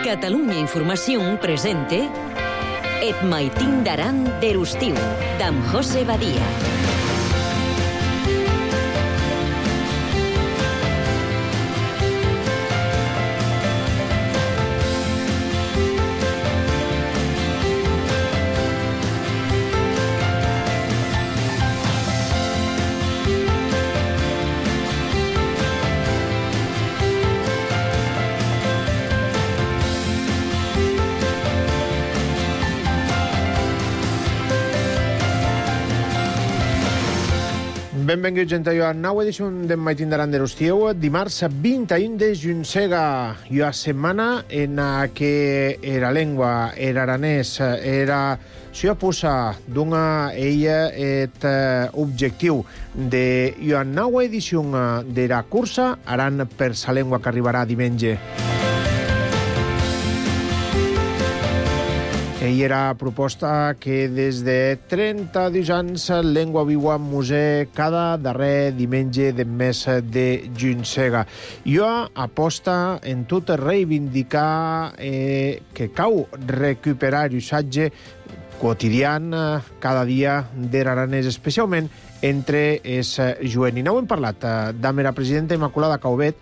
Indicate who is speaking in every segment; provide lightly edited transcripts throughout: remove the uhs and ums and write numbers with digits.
Speaker 1: Catalunya Informació presente Et maitin d'aran d'Erustiu, d'en José Badia.
Speaker 2: Benvinguts a la nova edició d'en Maitin d'aran d'Erustiu, dimarts 21 de juncega. I a setmana en què era lengua, era aranès, era si posa d'una ella et objectiu de la nova edició de la cursa Aran per sa lengua que arribarà diumenge. Ella era proposta que des de 32 anys Lengua Viua Museu cada darrer diumenge del mes de juncega. Jo aposta en tot reivindicar que cau recuperar l'usatge quotidian cada dia de l'aranès, especialment entre els jovenils. N'hem parlat amb la presidenta Immaculada Caubet,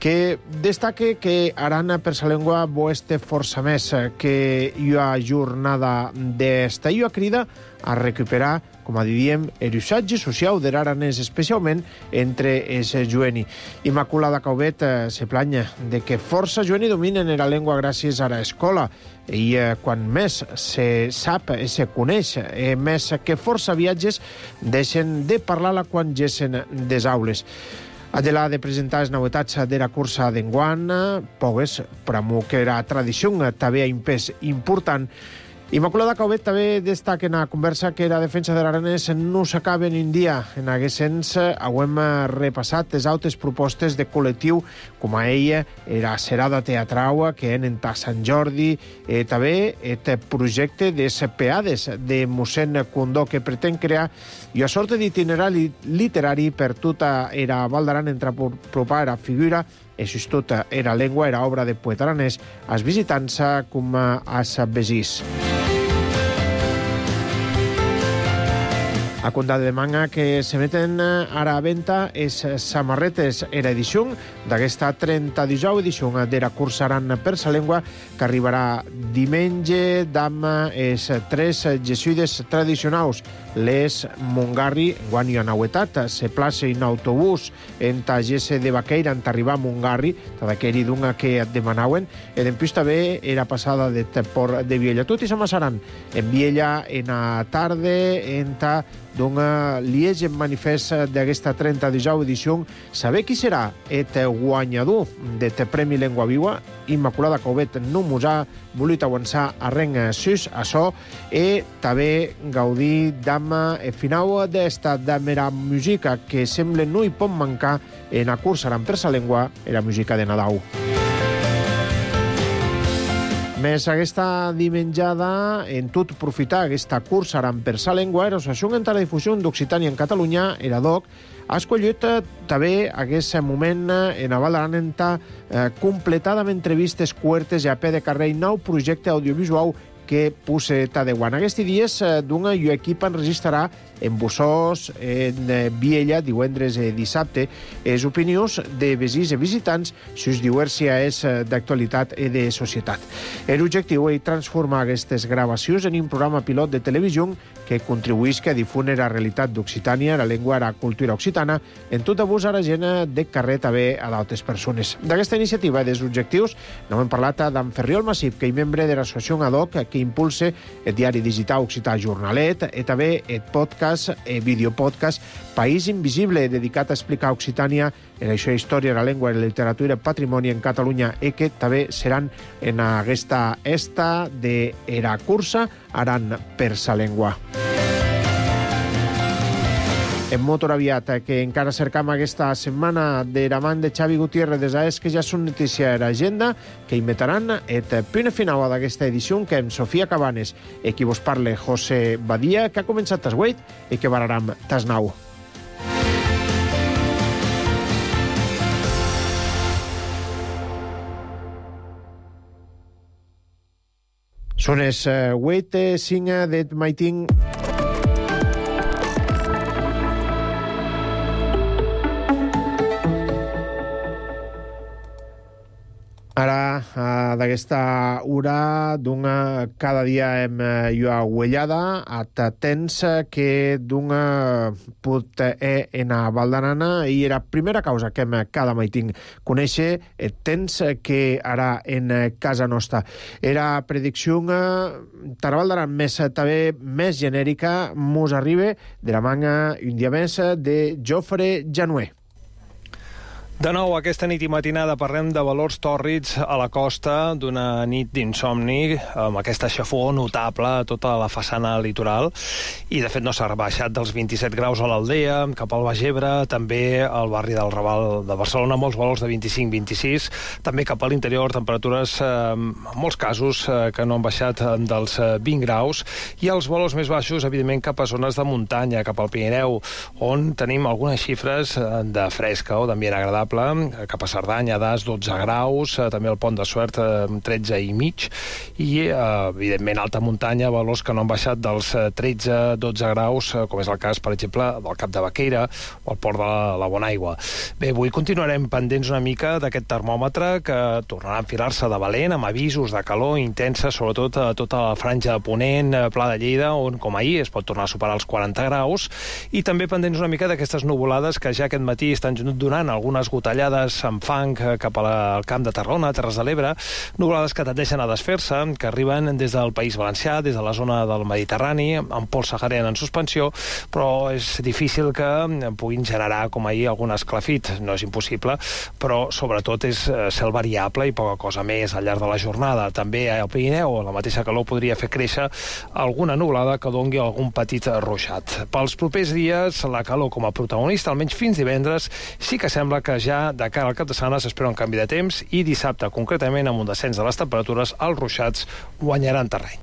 Speaker 2: que destaca que Aran per sa lengua bo este força més que la jornada d'esta. I crida a recuperar, com diríem, l'usatge social de l'aranès, especialment entre els jovenils. Immaculada Caubet se planya de que força jovenils dominen la llengua gràcies a l'escola, i quan més se sap i se coneix, més que força viatges deixen de parlar-la quan gessen des aules. Adela de presentar les novetats de la cursa d'enguany, pogues, però que la tradició també ha un pes important. Immaculada Caubet també destaca en la conversa que la defensa de l'aranès no s'acaba en un dia. En aquest sens, hem repassat les altres propostes de col·lectiu, com a ella, la serada teatral que en Sant Jordi, també el projecte de peades de mossèn Condó, que pretén crear una sorta d'itinerari literari per tota la Val d'Aran entre apropar la figura és tota era llengua, era obra de poeta aranès, als visitants com als vesís. A compte de manga que s'emeten ara a venda les samarretes era edició d'aquesta 32a edició de la cursa Aran per sa lengua, que arribarà diumenge amb els 3 jesuïdes tradicionals. Les Montgarri, guany i anauetat, se plaça en autobús en Tagese de Baqueira, en arribar a Montgarri, d'aquell d'una que et demanaven, i després també era passada de Port de Viella. Tot i s'amassaran en Viella en la tarda, en ta d'un liege manifest d'aquesta 32a edició. Saber qui serà el guanyador d'aquest Premi Lengua Viua. Immaculada Caubet no mos ha volit avançar arren sus això, i també gaudir d'am el final d'esta damera música que sembla no hi pot mancar en la cursa Aran per sa lengua, la música de Nadal. Més aquesta dimenjada, en tot profitar aquesta cursa Aran per sa lengua, l'Associació en la difusió d'Occitània en Catalunya, ERADOC, ha escollit també aquest moment en la Val d'Aran completada amb entrevistes curtes i a peu de carrer, nou projecte audiovisual que puse Tadeuan. Aquests dies d'un equip enregistrarà en Bussós, en Viella, divendres i dissabte, les opinions de vesins i visitants sus diverses d'actualitat i de societat. L'objectiu és transformar aquestes gravacions en un programa pilot de televisió que contribuïsca a difondre la realitat d'Occitània, la llengua i la cultura occitana, en tot abús a la gent de carrer també a d'altres persones. D'aquesta iniciativa i dels objectius n'hem parlat d'en Ferriol Massip, que és membre de l'associació ADOC, que impulsa el diari digital Occità Jornalet, i també el podcast, el videopodcast País Invisible, dedicat a explicar Occitània, la història, la llengua, la literatura i el patrimoni en Catalunya, i que també seran en aquesta de la cursa Aran per sa lengua. En motor aviat, que encara cercam aquesta setmana de la mà de Xavi Gutiérrez des d'Aes, que ja són notícia a l'agenda, que inventaran el punt final d'aquesta edició, que amb Sofia Cabanes, i qui vos parla José Badia, que ha començat tas 8 i que vararam tas 9. Són els 8:05 d'Et Maiting. Ara, d'aquesta hora, cada dia hem jo uellada, a temps que pot en a Val d'Arana, i la primera causa que hem cada maiting conèixer, el temps que ara en casa nostra. Era predicció per Val d'Arana més genèrica, mos arriba de la manga un dia més de Jofre Januer.
Speaker 3: De nou, aquesta nit i matinada parlem de valors tòrrids a la costa, d'una nit d'insomni, amb aquesta xafó notable a tota la façana litoral, i de fet no s'ha baixat dels 27 graus a l'Aldea, cap al Baix Ebre, també al barri del Raval de Barcelona, molts valors de 25-26, també cap a l'interior, temperatures, en molts casos, que no han baixat dels 20 graus, i els valors més baixos, evidentment, cap a zones de muntanya, cap al Pirineu, on tenim algunes xifres de fresca o d'ambient agradable, cap a Cerdanya, Das, 12 graus, també el Pont de Suert, 13 i mig, i, evidentment, alta muntanya, valors que no han baixat dels 13-12 graus, com és el cas, per exemple, del Cap de Baqueira o el Port de la Bonaigua. Bé, avui continuarem pendents una mica d'aquest termòmetre que tornarà a enfilar-se de valent, amb avisos de calor intensa, sobretot a tota la franja de Ponent, Pla de Lleida, on, com ahir, es pot tornar a superar els 40 graus, i també pendents una mica d'aquestes nuvolades que ja aquest matí estan donant algunes gotellades amb fang cap al Camp de Tarragona, Terres de l'Ebre, nuvolades que tendeixen a desfer-se, que arriben des del País Valencià, des de la zona del Mediterrani, amb pols sahariana en suspensió, però és difícil que puguin generar, com ahir, algun esclafit. No és impossible, però sobretot és cel variable i poca cosa més al llarg de la jornada. També al Pirineu, la mateixa calor podria fer créixer alguna nuvolada que dongui algun petit ruixat. Pels propers dies, la calor com a protagonista, almenys fins divendres, sí que sembla que ja de cara al cap de setmana s'espera un canvi de temps, i dissabte, concretament, amb un descens de les temperatures, els ruixats guanyaran terreny.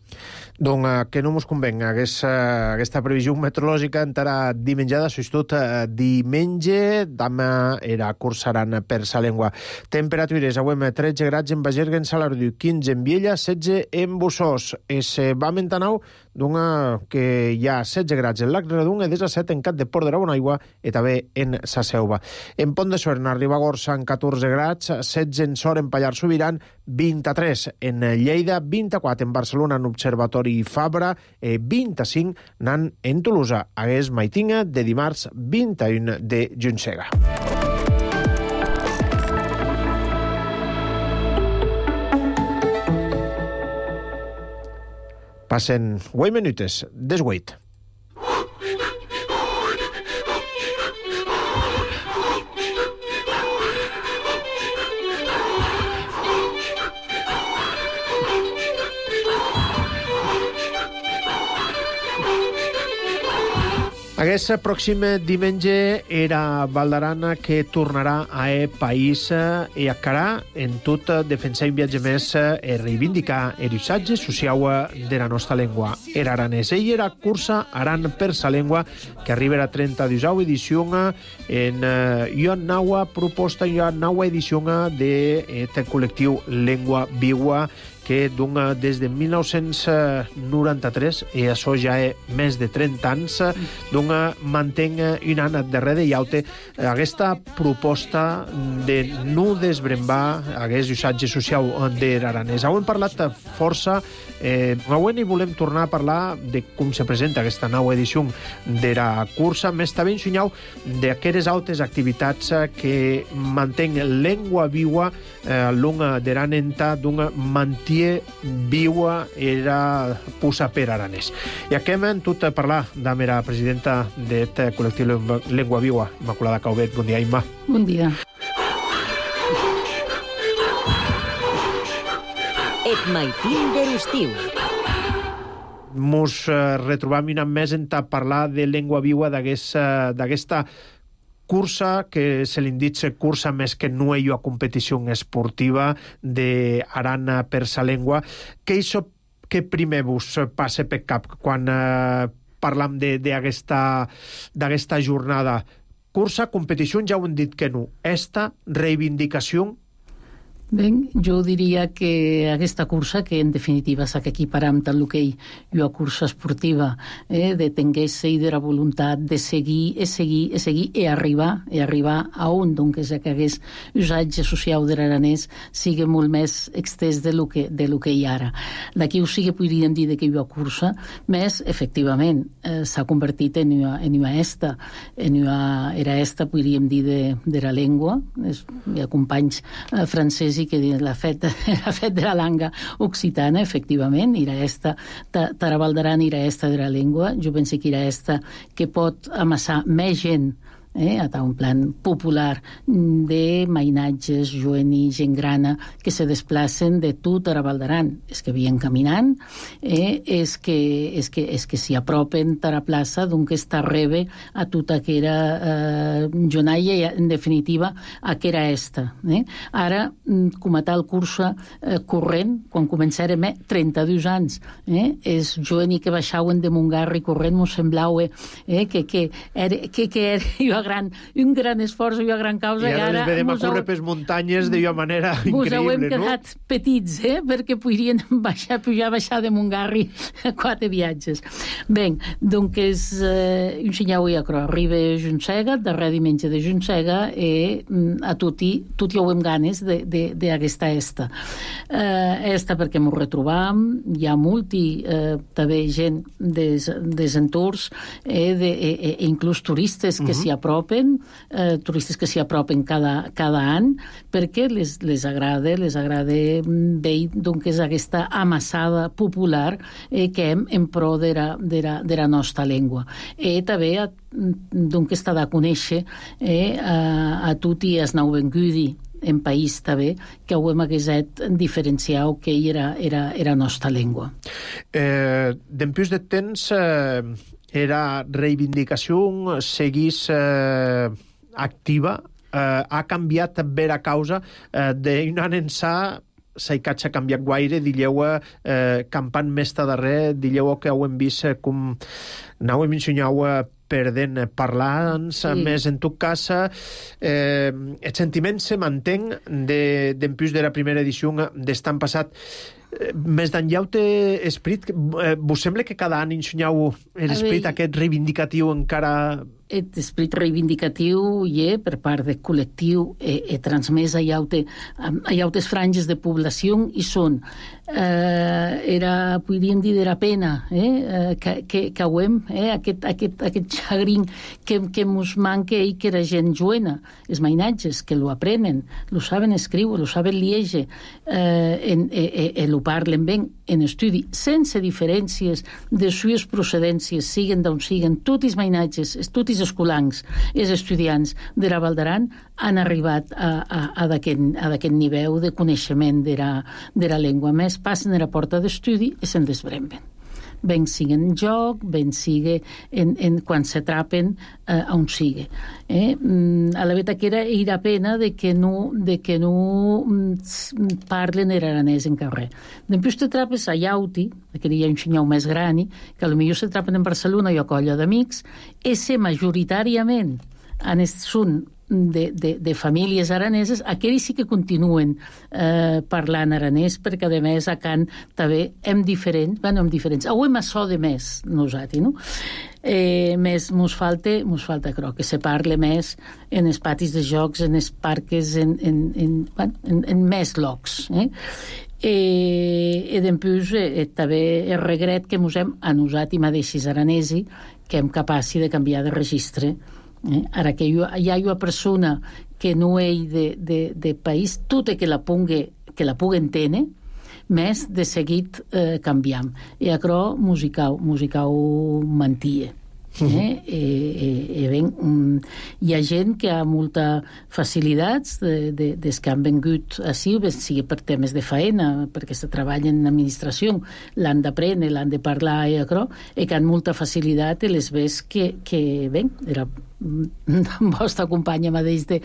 Speaker 2: Donc, que no mos convenc aquesta previsió meteorològica encara dimenjada, sobretot diumenge, demà era cursaran per sa llengua. Temperatures, avui 13 graus en Bagerga, en Salardiu, 15 en Viella, 16 en Bussós. Es va mentanau que hi ha 16 graus en Lac Redung i 17 en Cap de Port de la Bonaigua i també en Sa Selva. En Pont de Suert, a Ribagorça, en 14 graus, 16 en Sort, en Pallars Sobirán, 23 en Lleida, 24 en Barcelona, en Observatori Fabra, 25 nan en Tolosa. Hagués maitinga de dimarts 21 de Juntsega. Passen 8 minutes, des 8. Aquest pròxim diumenge era Val d'Arana que tornarà a país i encara en tot defensar un viatge més i reivindicar el usatge social de la nostra llengua. Era aranès. Ell era cursa Aran per sa llengua que arriba a 32a edició en una nova proposta, una nova edició del col·lectiu Llengua Viua que des de 1993, i això ja és més de 30 anys, mantenc un any darrere i altre aquesta proposta de no desbrembar aquest usatge social de l'aranès. Avui hem parlat força, avui volem tornar a parlar de com se presenta aquesta nova edició de la cursa, més també ensenyau d'aquestes altres activitats que mantenc Llengua Viua lunga de l'anenta d'un mantier viua era pusa per aranès. I aquí hem tot a parlar amb la presidenta d'aquest col·lectiu Llengua Viua, Immaculada Caubet. Bon dia, Imma.
Speaker 4: Bon dia.
Speaker 1: Et maitín de l'estiu.
Speaker 2: Mos retrobam un any més en parlar de Llengua Viua, d'aquesta cursa que se li dit cursa més que no hi ha competició esportiva d'Aran per sa llengua. Què primer vos passa per cap quan parlam d'aquesta jornada? Cursa, competició, ja ho hem dit que no. Esta reivindicació?
Speaker 4: Ben, jo diria que aquesta cursa, que en definitiva s'ha equiparar amb el hoquei i una cursa esportiva, de tenguer-se i de la voluntat de seguir i arribar a on, doncs, que hagués usatge social de l'aranès sigui molt més extès de lo que hi ara. D'aquí ho sí que podríem dir que hi ha cursa, més, efectivament, s'ha convertit en una esta. Era esta, podríem dir, de la llengua. Hi ha companys francesi que diuen la fet de la langa occitana, efectivament, era esta, Tarabaldaran era esta de la llengua. Jo penso que era esta que pot amassar més gent a un plan popular de mainatges, joeni, gent grana que se desplacen de tot Tarabaldaran. És que havien caminant, és que s'hi apropen a la plaça, doncs està rebe a tota aquella jonaia i, en definitiva, a aquella esta. Ara, com a tal cursa corrent, quan començarem 32 anys, és joeni que baixauen de Montgarri corrent, m'ho semblava que era un gran esforç i una gran causa.
Speaker 2: I ara les vedem a córrer per muntanyes d'una manera increïble, no?
Speaker 4: Us hem quedat petits, perquè podrien baixar de Montgarri 4 viatges. Bé, doncs un senyal i acro. Arriba a Juntsega, darrer diumenge de Juntsega, i a tutti ho hem ganes d'aquesta esta. Esta perquè m'ho retrobam, hi ha també gent des entorns, inclús turistes que s'hi apropen, turistes que s'hi apropen cada any, perquè les agrada veure doncs aquesta amassada popular que hem en pro de la nostra llengua. I també doncs està de conèixer a tot i es nou vengudi en país també, que ho hem haguesat diferenciat que era nostra llengua.
Speaker 2: Dempús de temps era reivindicació seguís activa, ha canviat bé la causa d'un any ençà s'ha canviat guaire, dilleu campant més darrer, dilleu que ho hem vist com anàvem ensenyau perdent parlants, més en tot cas el sentiment se mantén dempús de la primera edició d'estan passat. Més d'enllà esperit, vos sembla que cada any ensenyau l'esperit aquest reivindicatiu encara...
Speaker 4: L'esperit reivindicatiu per part del col·lectiu transmès a altres franges de població i són podríem dir de la pena que hauem aquest xagrin que mos manca i que la gent joena, els mainatges que lo aprenen, lo saben escriure, lo saben lieger, lo parlen ben en estudi, sense diferències de sues procedències, siguen d'on siguen, tots els mainatges, tots els escolancs, els estudiants de la Val d'Aran han arribat a d'aquest nivell de coneixement de la llengua. Més passen a la porta d'estudi i se'n desbremben. Ben sigui en joc, ben sigui quan s'atrapen on sigui. A la veritat que era pena de que no parlen aranès en carrer. Després t'atrapes a Iauti, que hi ha un senyor més gran, que potser s'atrapen en Barcelona i a colla d'amics, i majoritàriament són de famílies araneses, aquells sí que continuen parlant aranès, perquè a més a Can també hem diferents, ho hem açò de més nosaltres, no? Més mos falta que se parle més en els patis de jocs, en els parques, en més llocs, i després també el regret que mos hem a nosaltres mateixos aranesi que hem capaç de canviar de registre. Ara que hi ha una persona que no és de país, tot que la pugui entendre, més de seguit canviam. I això musical mantia. Hi ha gent que ha molta facilitats des que han vengut així, sigui per temes de faena, perquè se treballen en administració, l'han d'aprendre, l'han de parlar i que han molta facilitat i les ves que era vostra companya mateix de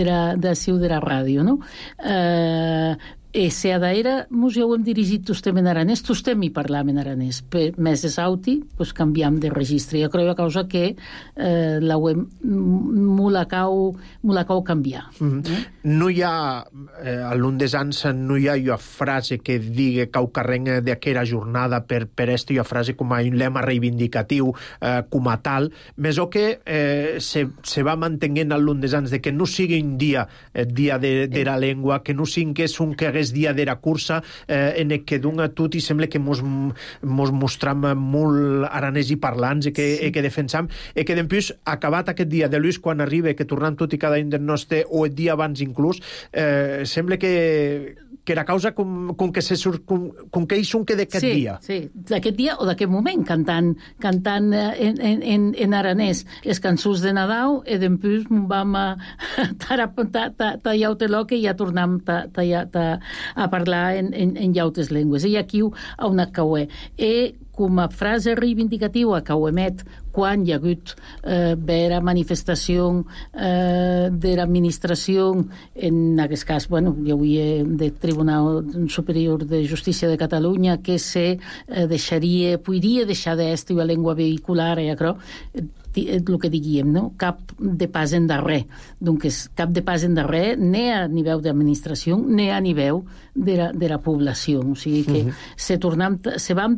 Speaker 4: la ràdio, no? se adaera mos hem dirigit tostem en aranès, tostem hi parlam en aranès. Més és auti, canviam de registre. Jo crec a causa que l'auem mulacau canviar.
Speaker 2: No hi ha, a l'undesans, no hi ha una frase que digui que ho carrenga d'aquella jornada per esta una frase com a un lema reivindicatiu, com a tal, més o que se va mantenint a l'undesans de que no sigui un dia de la llengua, que no sigui que és un que hagués dia de la cursa, en què d'un a tot i sembla que mos mostram molt aranès i parlants, que defensam, i que després, acabat aquest dia de Lluís, quan arriba, que tornem tot i cada un del nostre, o el dia abans inclús, sembla que la causa com que ells són que d'aquest dia.
Speaker 4: Sí, d'aquest dia o d'aquest moment, cantant en aranès les cançons de Nadal, i després vam tallar el que ja tornem a parlar en llautes llengües. I aquí a una cauè. I com a frase reivindicativa que ho emet quan hi ha hagut vera manifestació de l'administració, en aquest cas, hi havia del Tribunal Superior de Justícia de Catalunya, que se podria deixar d'estar la llengua vehicular, el que diguem, no? Cap de pas endarrer. Doncs cap de pas endarrer, ni a nivell d'administració, ni a nivell de la població. O sigui que se vam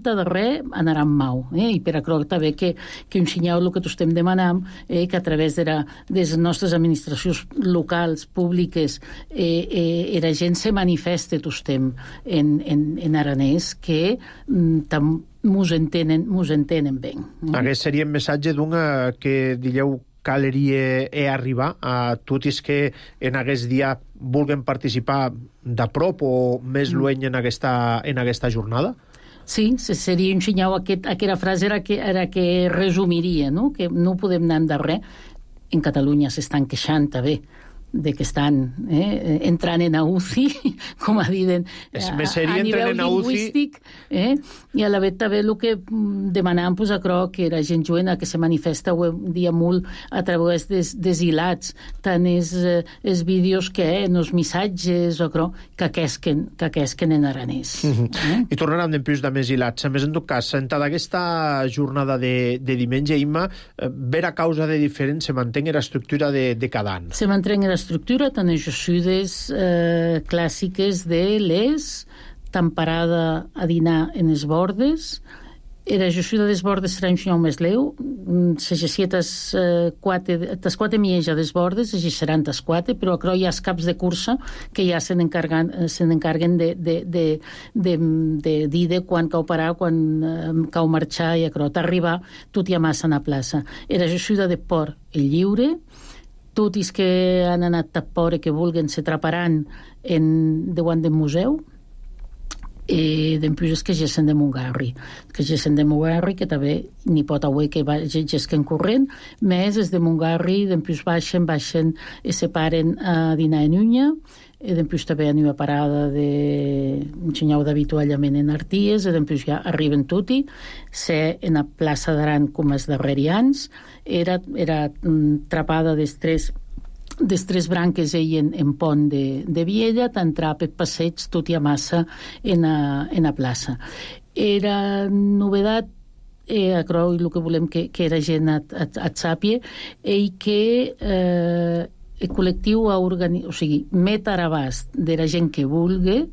Speaker 4: darrer anarà mau. I per això també que un senyal el que estem demanant, que a través de les nostres administracions locals, públiques, la gent se manifeste tostem en aranès, que mos entenen bé.
Speaker 2: Aquest seria el missatge d'una que dieu caleria arribar a tots que en aquest dia vulguin participar de prop o més lluny en aquesta jornada?
Speaker 4: Sí, seria un senyal. Aquesta frase era que resumiria, no? Que no podem anar endarrer. En Catalunya s'estan queixant també de que estan entrant en UCI, com a dir, a nivell lingüístic, i a la vegada també el que demanàvem, que la gent joven que se manifesta un dia molt a través dels hilats, tant els vídeos que els missatges, que aquesquen en aranès.
Speaker 2: I tornarem després de més hilats. A més, en tot cas, en aquesta jornada de diumenge, Imma, vera causa de diferent se manté l'estructura de cada any.
Speaker 4: Se manté l'estructura, tant les josudes clàssiques de les temperada a dinar en els bordes. La josuda dels bordes serà un senyal més leu. Se gessia tas quatre mieja dels bordes, se gesseran tas quatre, però hi ha els caps de cursa que ja se n'encarguen de dir quan cau parar, quan cau marxar, i t'arribar tot i a massa a la plaça. La josuda de port i lliure. Tots els que han anat a Pore que vulguin se traparan davant del museu, i després és que gessen de Montgarri, que també n'hi pot haver que gesquen corrent, més és de Montgarri, després baixen i se paren a dinar en Unya, i després també hi ha una parada d'un senyal d'avituallament en Arties, i després ja arriben tutti, se en la plaça d'Aran com els darrerians, era trapada dels tres branques en pont de Viella, t'entrar per passeig tot i a massa en la plaça. Era novedat, el que volem que la gent et sàpia, i que el col·lectiu met a l'abast de la gent que vulgui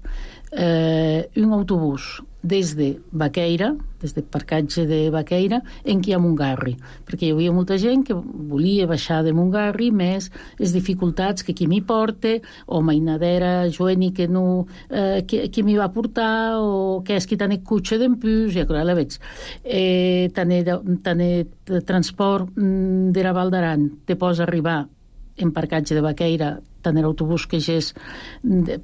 Speaker 4: un autobús des de Baqueira, des del parcatge de Baqueira, en qui a Montgarri, perquè hi havia molta gent que volia baixar de Montgarri, més les dificultats que qui m'hi porta, o mainadera joeni que no, qui m'hi va portar, o que és qui tant el cotxe d'empús, i la veig. Tant el transport de la Val d'Aran te posa arribar en parcatge de Baqueira, tant l'autobús que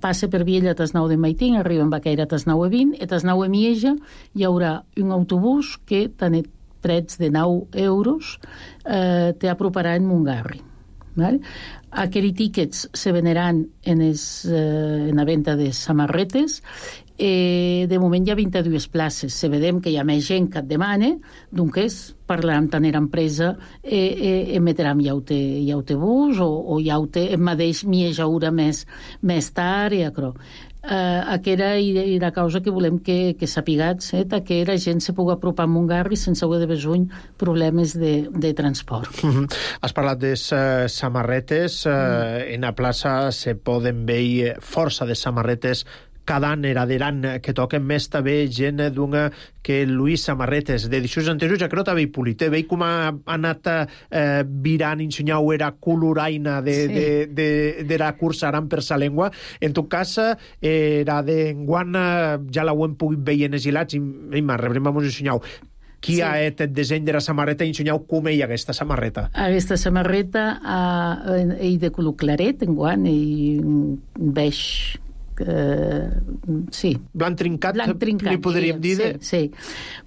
Speaker 4: passa per Viella a tas 9 de Maitín, arriba en Baqueira a tas 9 i 20, i a tas 9 de Mieja hi haurà un autobús que tant prets de 9 euros t'aproparà en Montgarri. Aquells tíquets se veneran en la venda de samarretes, De moment hi ha 22 places. Se vedem que hi ha més gent que et demana, doncs parlarem tant era empresa emetrem hi autobús o hi mateix m'hi ajaura més tard i acro. Aquesta és la causa que volem que sapigats, que la gent se pugui apropar a Montgarri sense haver de besuny problemes de transport.
Speaker 2: Has parlat de samarretes. En la plaça se poden veure força de samarretes cada any herederan que toquen més també gent d'una que Lluís Samarretes de edicions anteriors, ja que no t'ha veig polit, veig com ha anat virant, ensenyau era coloraina de la cursa aran per sa llengua. En tot cas, era d'enguant ja la ho hem pogut veure en els hilats i rebrem a ensenyau qui ha fet el disseny de la samarreta i ensenyau com hi ha aquesta samarreta.
Speaker 4: Aquesta samarreta és de color claret, enguant, i beix
Speaker 2: blanc trincat, li podríem dir.
Speaker 4: Sí.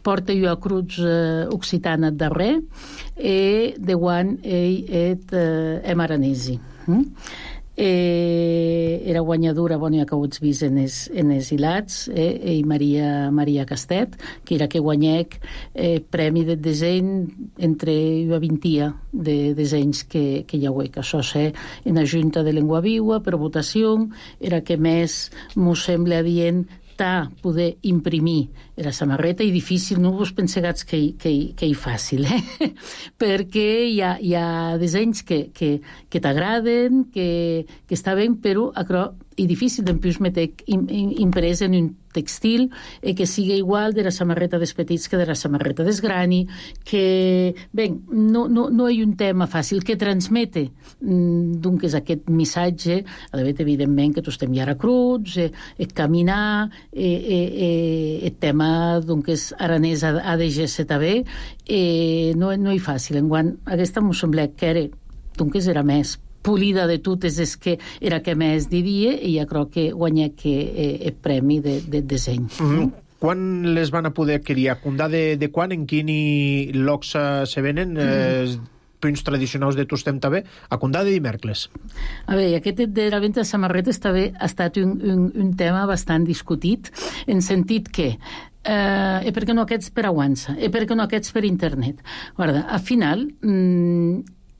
Speaker 4: Porta jo a Cruz Occitana darrer i de guant em aranesi. Era guanyadora, ja que ho ets vist en els hilats, i Maria Castet, que era que guanyec premi de disseny entre 20 de dissenys que hi ha que això sé en la Junta de Llengua Viva per votació, era que més m'ho sembla dient poder imprimir la samarreta i difícil, no vos pensegats que és fàcil, perquè hi ha dissenys que t'agraden, que està bé, però és difícil d'empius meter imprès en un textil que sigui igual de la samarreta dels petits que de la samarreta dels grani, que, bé, no és un tema fàcil, que transmete, doncs, aquest missatge, evidentment, que tu estem ja a Cruz, caminar, el tema, doncs, aranès ha de ser també, no és fàcil. Enguant, aquesta m'ho sembla que era més polida de totes és que era que més diria i ja crec que guanyà el premi de disseny.
Speaker 2: Quan les van a poder adquirir? A Condà de quan? En quin llocs se venen? Punts tradicionals de Tostem també? A Condà de dimecres.
Speaker 4: A veure, aquest de la venda de samarretes també ha estat un tema bastant discutit, en sentit que per què no aquests per aguança? Per què no aquests per internet? Guarda, al final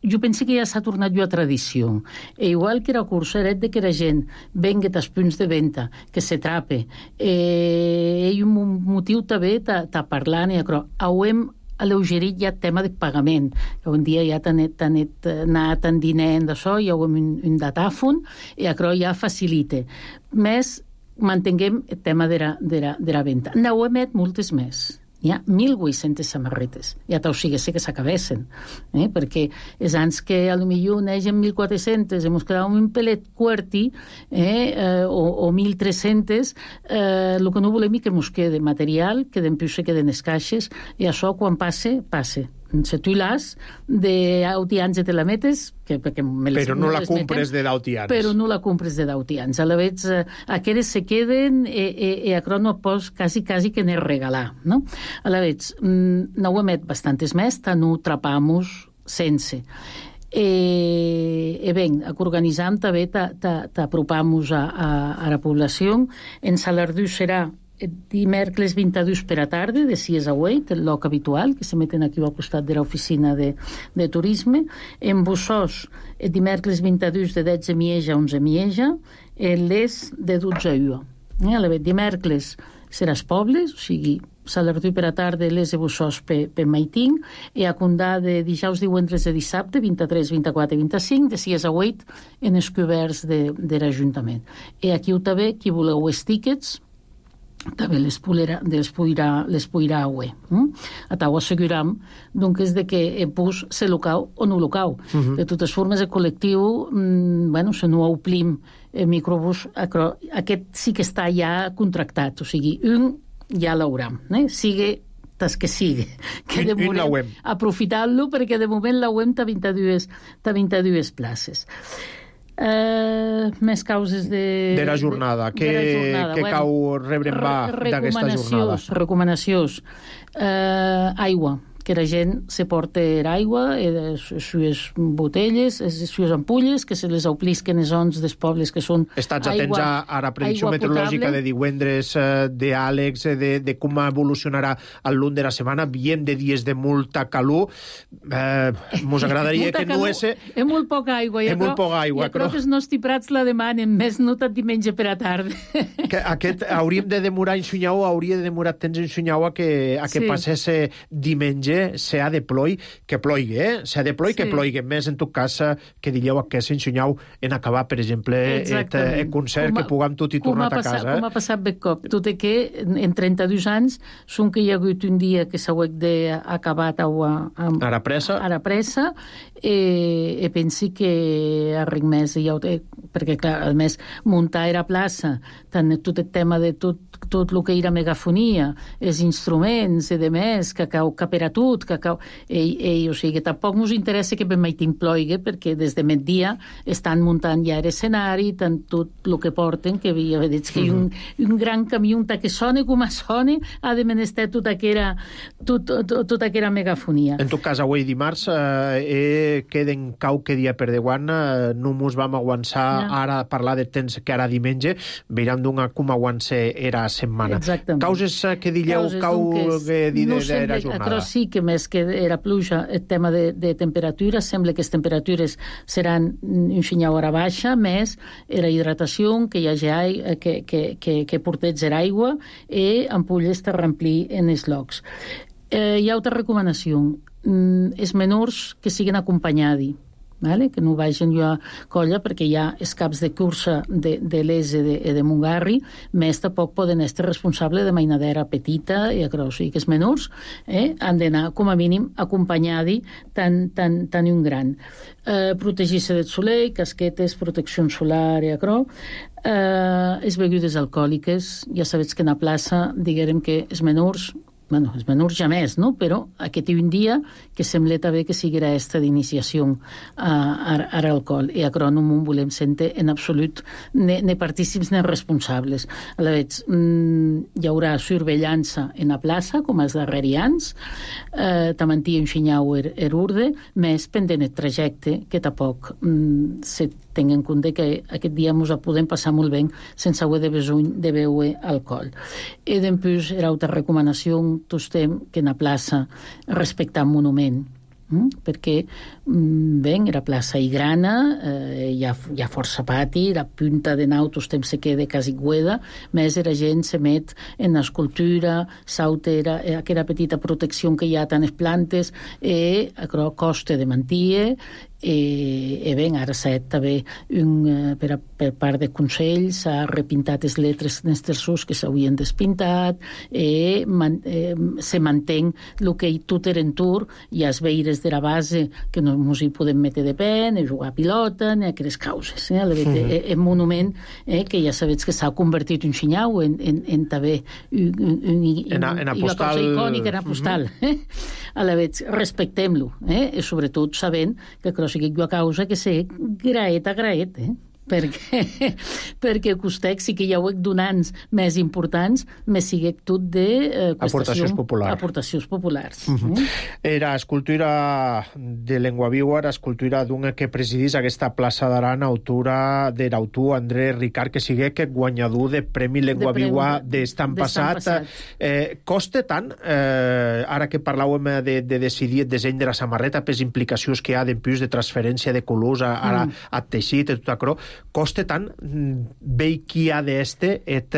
Speaker 4: jo penso que ja s'ha tornat a tradició. Igual que era cursa, era que la gent venga als punts de venda, que se trape. Hi ha un motiu també de parlar, ho hem alleugerit ja el tema de pagament. Un dia ja anat en diner d'això, ja ho hem un datàfon, i ja facilita. Més mantinguem el tema de la venda. N'ho emet moltes més. Hi ha 1.800 samarretes. Ja t'ho sé que s'acabessen, perquè és anys que potser neixen 1.400, hem quedat un pelet quarti o 1.300, el que no volem és que ens quede material, que després se queden les caixes, i això quan passe. Si tu l'has d'autians i te la metes...
Speaker 2: Però no la compres de d'autians.
Speaker 4: Però no la compres de d'autians. A la vez, aquelles se queden i acro no pots quasi que ne regalar. No? A la vez, no ho emet bastantes més, no trapamos sense. Ben, organitzam també t'apropamos a la població. En Salardú serà dimecres 22 per a tarda, de 6 a 8, el lloc habitual, que se meten aquí al costat de l'oficina de turisme. En Bussós, dimecres 22 de 10 a Mieja a 11 a Mieja, les de 12 a 1. Dimecres serà els pobles, o sigui, Salardú per a tarda, les de Bussós per Maiting, i a Condà de dijous, divendres de dissabte, 23, 24 i 25, de 6 a 8, en els coberts de l'Ajuntament. I aquí també, qui voleu els tíquets, també les podrà haver. Atau asseguram doncs de que el bus se locau o no locau. De totes formes, el col·lectiu, se no omplim el microbús, aquest sí que està ja contractat, o sigui, un ja l'hauram, sigui tas que sigui. Que de moment aprofitant-lo, perquè de moment l'auem a 22 places. Més causes de
Speaker 2: la jornada. Què cau rebre d'aquesta jornada?
Speaker 4: Recomanacions. Aigua. que la gent se porta aigua, sues botelles, sues ampulles, que se les omplisquen els ons dels pobles que són
Speaker 2: Estats atents a la predicció meteorològica de divendres d'Àlex, de com evolucionarà el lluny de la setmana. Viem de dies de molta calor. Mos agradaria que no és...
Speaker 4: És molt poca aigua.
Speaker 2: És molt poca aigua.
Speaker 4: Jo crec que els nostres prats la demanen, més no tant diumenge per a tarda.
Speaker 2: Aquest hauríem de demorar en Xunyau, hauria de demorar temps en Xunyau a que passés diumenge, s'ha de ploi, que ploigui, s'ha de ploi, que ploigui. Més, en tot cas, que digueu aquest en Xunyau en acabar, per exemple, el concert, que puguem tot i tornar a casa.
Speaker 4: Com ha passat aquest cop. Tot i que en 32 anys són que hi ha hagut un dia que s'ha acabat
Speaker 2: ara pressa,
Speaker 4: i pensi que a res més ja ho té, perquè clar, a més muntar a la plaça, tant tot el tema de tot el que era megafonia, els instruments i demés, que per a tot, o sigui que tampoc ens interessa que ben mai t'imploigui, perquè des de migdia estan muntant ja l'escenari, tant tot el que porten, que havia dit que un gran camió que sona com sona, ha de menester tota aquella megafonia.
Speaker 2: En tot cas, avui dimarts queden qualque dia per davant, no mos vam aguançar ara a parlar de temps que ara diumenge, veurem com aguança era setmana.
Speaker 4: Exactament.
Speaker 2: Causes que digueu, de la jornada.
Speaker 4: Però sí que més que era pluja, el tema de temperatures, sembla que les temperatures seran un xinyau a la baixa, més la hidratació, que hi hagi que porteig l'aigua i ampolles de remplir en els llocs. Hi ha altra recomanació. Els menors que siguin acompanyats, que no vagin jo a colla, perquè hi ha els caps de cursa de l'ES i de Montgarri, més tampoc poden estar responsables de mainadera petita i o sigui que els menors han d'anar com a mínim acompanyats tant un gran. Protegir-se del soleil, casquetes, protecció solar i les begudes alcohòliques, ja sabeu que en la plaça diguem que els menors ja més, no? Però aquest un dia que sembla també que sigui aquesta d'iniciació a l'alcohol. I no m'ho volem sentir en absolut ni partícips ni responsables. A la vegada, hi haurà surveillança en la plaça, com els darrerians, també en xinyau urde, més pendent el trajecte, que tampoc se tingui en compte que aquest dia ens podem passar molt bé sense haver de beure alcohol. I després, era altra recomanació, tostem que en la plaça respectar un monument, perquè la plaça hi grana, hi ha força pati, la punta de nau tostem se queda quasi gueda, més la gent se met en l'escultura, s'altera aquella petita protecció que hi ha tant les plantes, i costa de mantenir. Ara s'ha també per part de Consell s'ha repintat les lletres n'esтерços que s'havien despintat, se manté el que tot era en tur, hi ha els veires de la base que no ens hi podem metre de peu, ni jugar a pilota, ni aquelles causes. El monument que ja sabeu que s'ha convertit un xinyau en també una cosa icònica, en postal. A la vegada, respectem-lo, i sobretot sabent que sigui a causa que sé graet a graet, perquè costec sí que hi ha donants més importants, més sigue tot de
Speaker 2: aportacions
Speaker 4: populars.
Speaker 2: Era escultura de Lengua Viua, escultura d'un que presidís aquesta plaça d'Aran, autora de l'autor André Ricard, que sigue que guanyador de Premi Lengua Viua d'estan passat. Costa tant, ara que parlàvem de decidir el disseny de la samarreta, per les implicacions que hi ha d'empús de transferència de colors a teixit i tot això, costa tant veig qui ha d'este et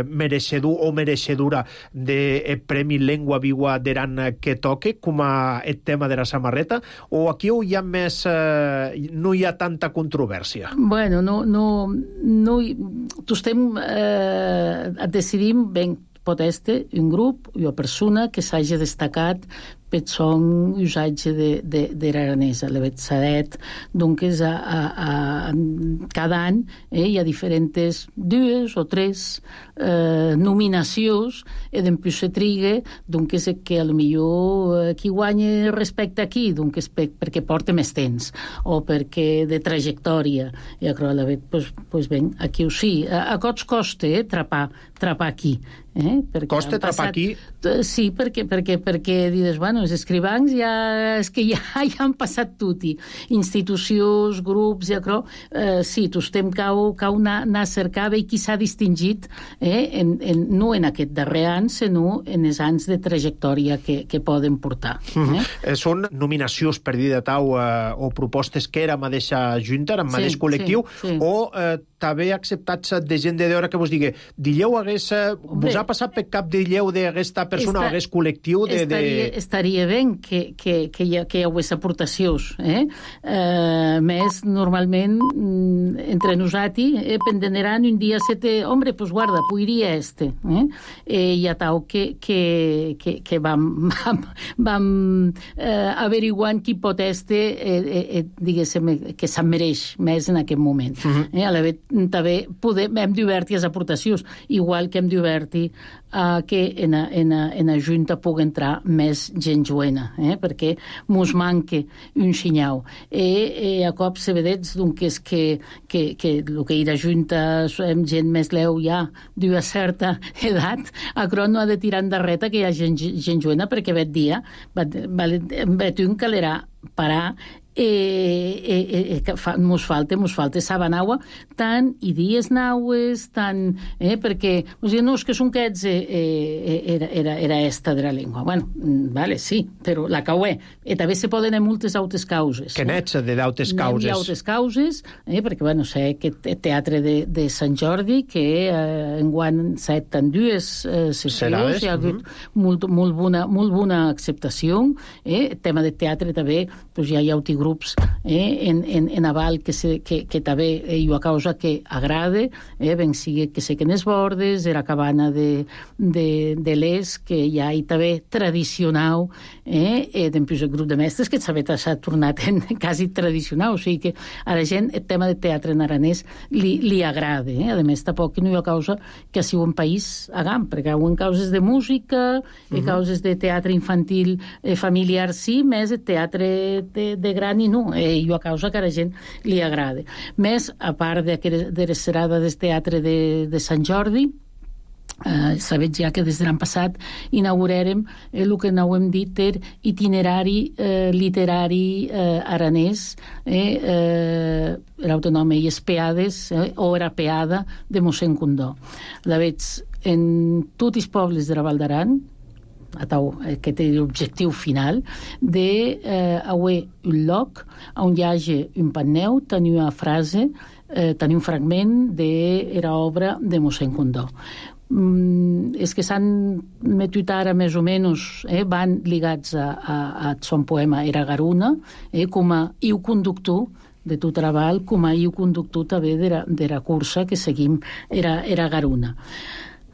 Speaker 2: mereixedor o mereixedora de Premi Lengua Viua d'Aran que toque com a el tema de la samarreta, o aquí hi ha més no hi ha tanta controvèrsia?
Speaker 4: Bueno, no estem decidim ben pot estar un grup o una persona que s'hagi destacat per son usatge de l'aranesa. La vetsadet, doncs, cada any hi ha diferents 2 o 3 nominacions i després se triga, doncs, que potser qui guanya respecte aquí, doncs, perquè porta més temps o perquè de trajectòria. I a la vegada, doncs, ben, aquí ho sí. A cots costa trapar aquí.
Speaker 2: Costa trapar aquí?
Speaker 4: Sí, perquè dius, bueno, bueno, els escrivans és que ja han passat tutti. Institucions, grups, ja crec, sí, tostem cau anar a cercar bé qui s'ha distingit, no en aquest darrer any, sinó en els anys de trajectòria que poden portar.
Speaker 2: Són nominacions per dir de tau o propostes que era mateixa junta, en mateix col·lectiu, o també acceptats de gent de d'hora que vos digui, dilleu vos ha passat per cap dilleu d'aquesta persona o hagués col·lectiu
Speaker 4: Estaria bé que hi hagués aportacions. Més, normalment, entre nosaltres, pendeneran un dia hombre, pues guarda, podria hi ha tau que vam averiguant qui pot diguéssim, que se'n mereix més en aquest moment. A la vegada també hem d'obertir les aportacions, igual que hem d'obertir que en la Junta pugui entrar més gent joena, perquè mos manca un xinyau. A cop se vedets doncs, que el que era Junta hem gent més leu ja d'una certa edat, però no ha de tirar endarrere que hi ha gent joena, perquè aquest dia vet un calera parar mos falta sabanaua tant i dies naues tant, perquè no, és que són aquests era esta de la llengua. Bueno, vale, sí, però la cauè. També se poden haver moltes altres causes.
Speaker 2: Que n'ets de d'altres causes?
Speaker 4: D'altres causes, perquè, bueno, sé que el teatre de Sant Jordi, que enguany s'ha fet en dues sessions, hi ha hagut molt bona acceptació. El tema del teatre també, ja hi ha altres grups en aval que també hi ha causa que agrada, ben sigui que sequen els bordes, era cabana de l'est, que ja hi també tradicional, després el grup de mestres, que s'ha tornat quasi tradicional, o sigui que a la gent el tema del teatre en aranès li agrada. A més, tampoc no hi ha causa que sigui un país agam, perquè hi ha causes de música, causes de teatre infantil familiar, sí, més el teatre de gran i no. Hi ha causa que a la gent li agrada. Més, a part de la serada del teatre de Sant Jordi, sabeu ja que des de l'any passat inaugurarem el que n'hem dit itinerari literari aranès, l'autonoma i espeades, o era peada de mossèn Condó. La veig en tots els pobles de la Val d'Aran, que té l'objectiu final d'haver un lloc on hi hagi un panneu, tenir una frase, tenir un fragment de l'obra de mossèn Condó. És que s'han metut ara més o menys, van ligats a son poema Era Garuna, com a iu conductor de tot Raval, com a iu conductor també de la cursa que seguim Era Garuna.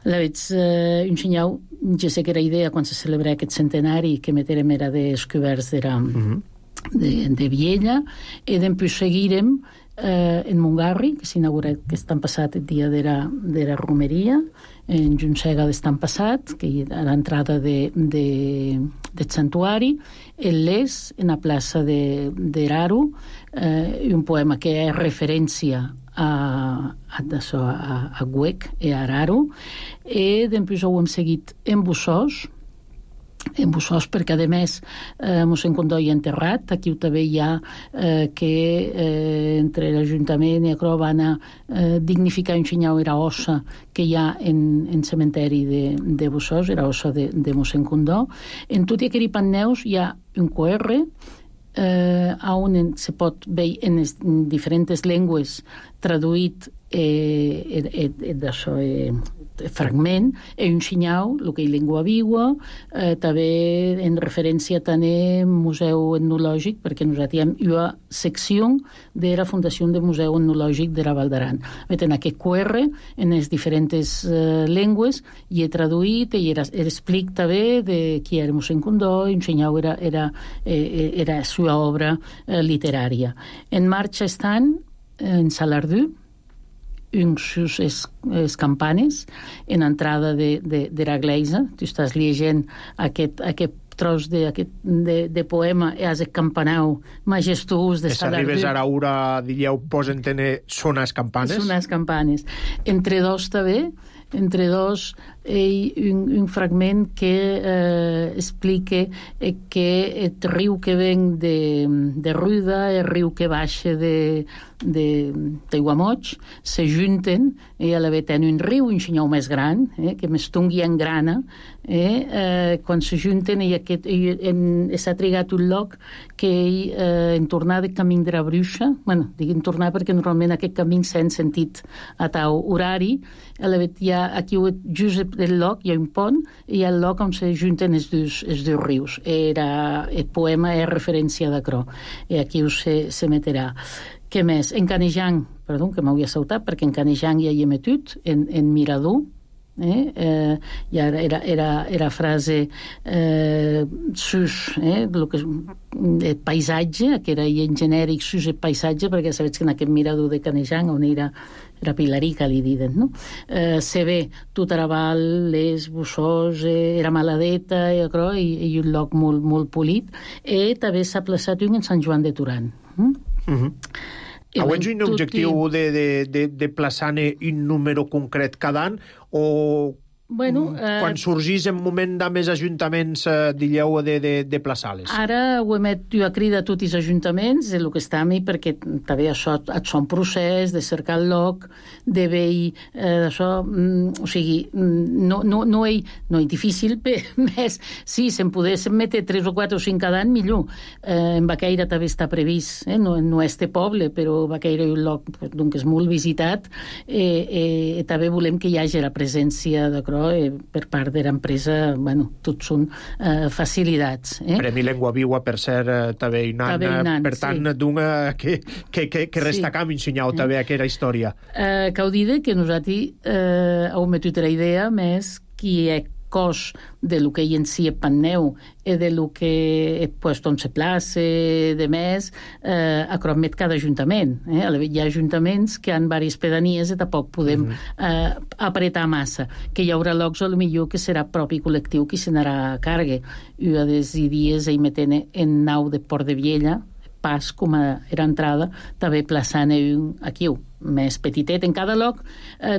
Speaker 4: La veig un senyal, jo sé que era idea quan se celebra aquest centenari que meterem era descoberts de Viella, i després seguirem en Montgarri, que s'inaugura aquest any passat el dia de la romeria, en Juntsega d'estan passat, que hi ha l'entrada del santuari, en l'est, en la plaça d'Eraro, un poema que és referència a Güec i a Araro, i després ho hem seguit en Bussós, perquè a més mossèn Condó hi ha enterrat. Aquí també hi ha que entre l'Ajuntament i Acro van a dignificar un xinyau era ossa que hi ha en cementeri de Bussós, era ossa de mossèn Condó. En tot i aquell panneus hi ha un QR on se pot veure en diferents llengües traduït fragment, un xinyau, el que és llengua viva, també en referència a tenir museu etnològic, perquè nosaltres hi ha una secció de la Fundació de Museu Etnològic de la Val d'Aran. En aquest QR, en les diferents llengües, hi he traduït i explic també de qui era mossèn Condó, un xinyau era la seva obra literària. En marxa estan en Salardú, uns les campanes en entrada de la Gleisa. Tu estàs llegint aquest tros de poema i has el campanau majestuós de Salardú.
Speaker 2: Arribes ara ura, diríeu, posen tener sones campanes?
Speaker 4: Sones campanes. Entre dos també entre dos un fragment que explica que el riu que ven de Ruda, el riu que baixa d'Aiguamoig, se junten i a l'haver tenen un riu, un senyal més gran, que més tungui en grana, quan se junten i s'ha trigat un lloc que en tornar de camí de la Bruixa, bueno, dic en tornar perquè normalment aquest camí s'ha sentit a tau horari, hi ha aquí just el lloc hi ha un pont i hi ha el lloc on se junten els dos rius. El poema és referència d'acrò i aquí se meterà. Què més? En Canejan, perdó, que m'havia saltat, perquè en Canejan hi ha metut, en Mirador, era frase sus el paisatge, que era en genèric sus el paisatge, perquè sabeu que en aquest Mirador de Canejan on era Pilarica, li diuen, no? Se ve tot Araval, les Bussós, era Maladeta i un lloc molt polit, i també s'ha plaçat un en Sant Joan de Turan.
Speaker 2: Auens un objectiu de plaçar-ne un número concret cada any o quan sorgís en moment de més ajuntaments dilleu de plaçar-les?
Speaker 4: Ara ho emet jo a crida a tots els ajuntaments, el que està a mi, perquè també això és un procés de cercar el lloc, de veure això, o sigui, no és difícil, més, sí, se'n pogués metre 3 o 4 o 5 cada any, millor. En Baqueira també està previst, no és de poble, però Baqueira és un lloc que és molt visitat, i també volem que hi hagi la presència de per part de l'empresa, bueno, tots són facilitats.
Speaker 2: Premi Llengua Viva, per ser també un any, per tant, que restacam ensenyau també aquesta història.
Speaker 4: Cal dir que nosaltres heu metut la idea més qui és cos de lo que hi en si és Panneu i de lo que és puesto on se place, de més, acromet cada ajuntament. Hi ha ajuntaments que han diverses pedanies i tampoc podem apretar massa. Que hi haurà llocs, potser, que serà propi col·lectiu qui se n'anarà a càrrega. Una dels dies hi metent en nau de Port de Viella, pas com a entrada, també plaçant aquí, més petitet. En cada lloc,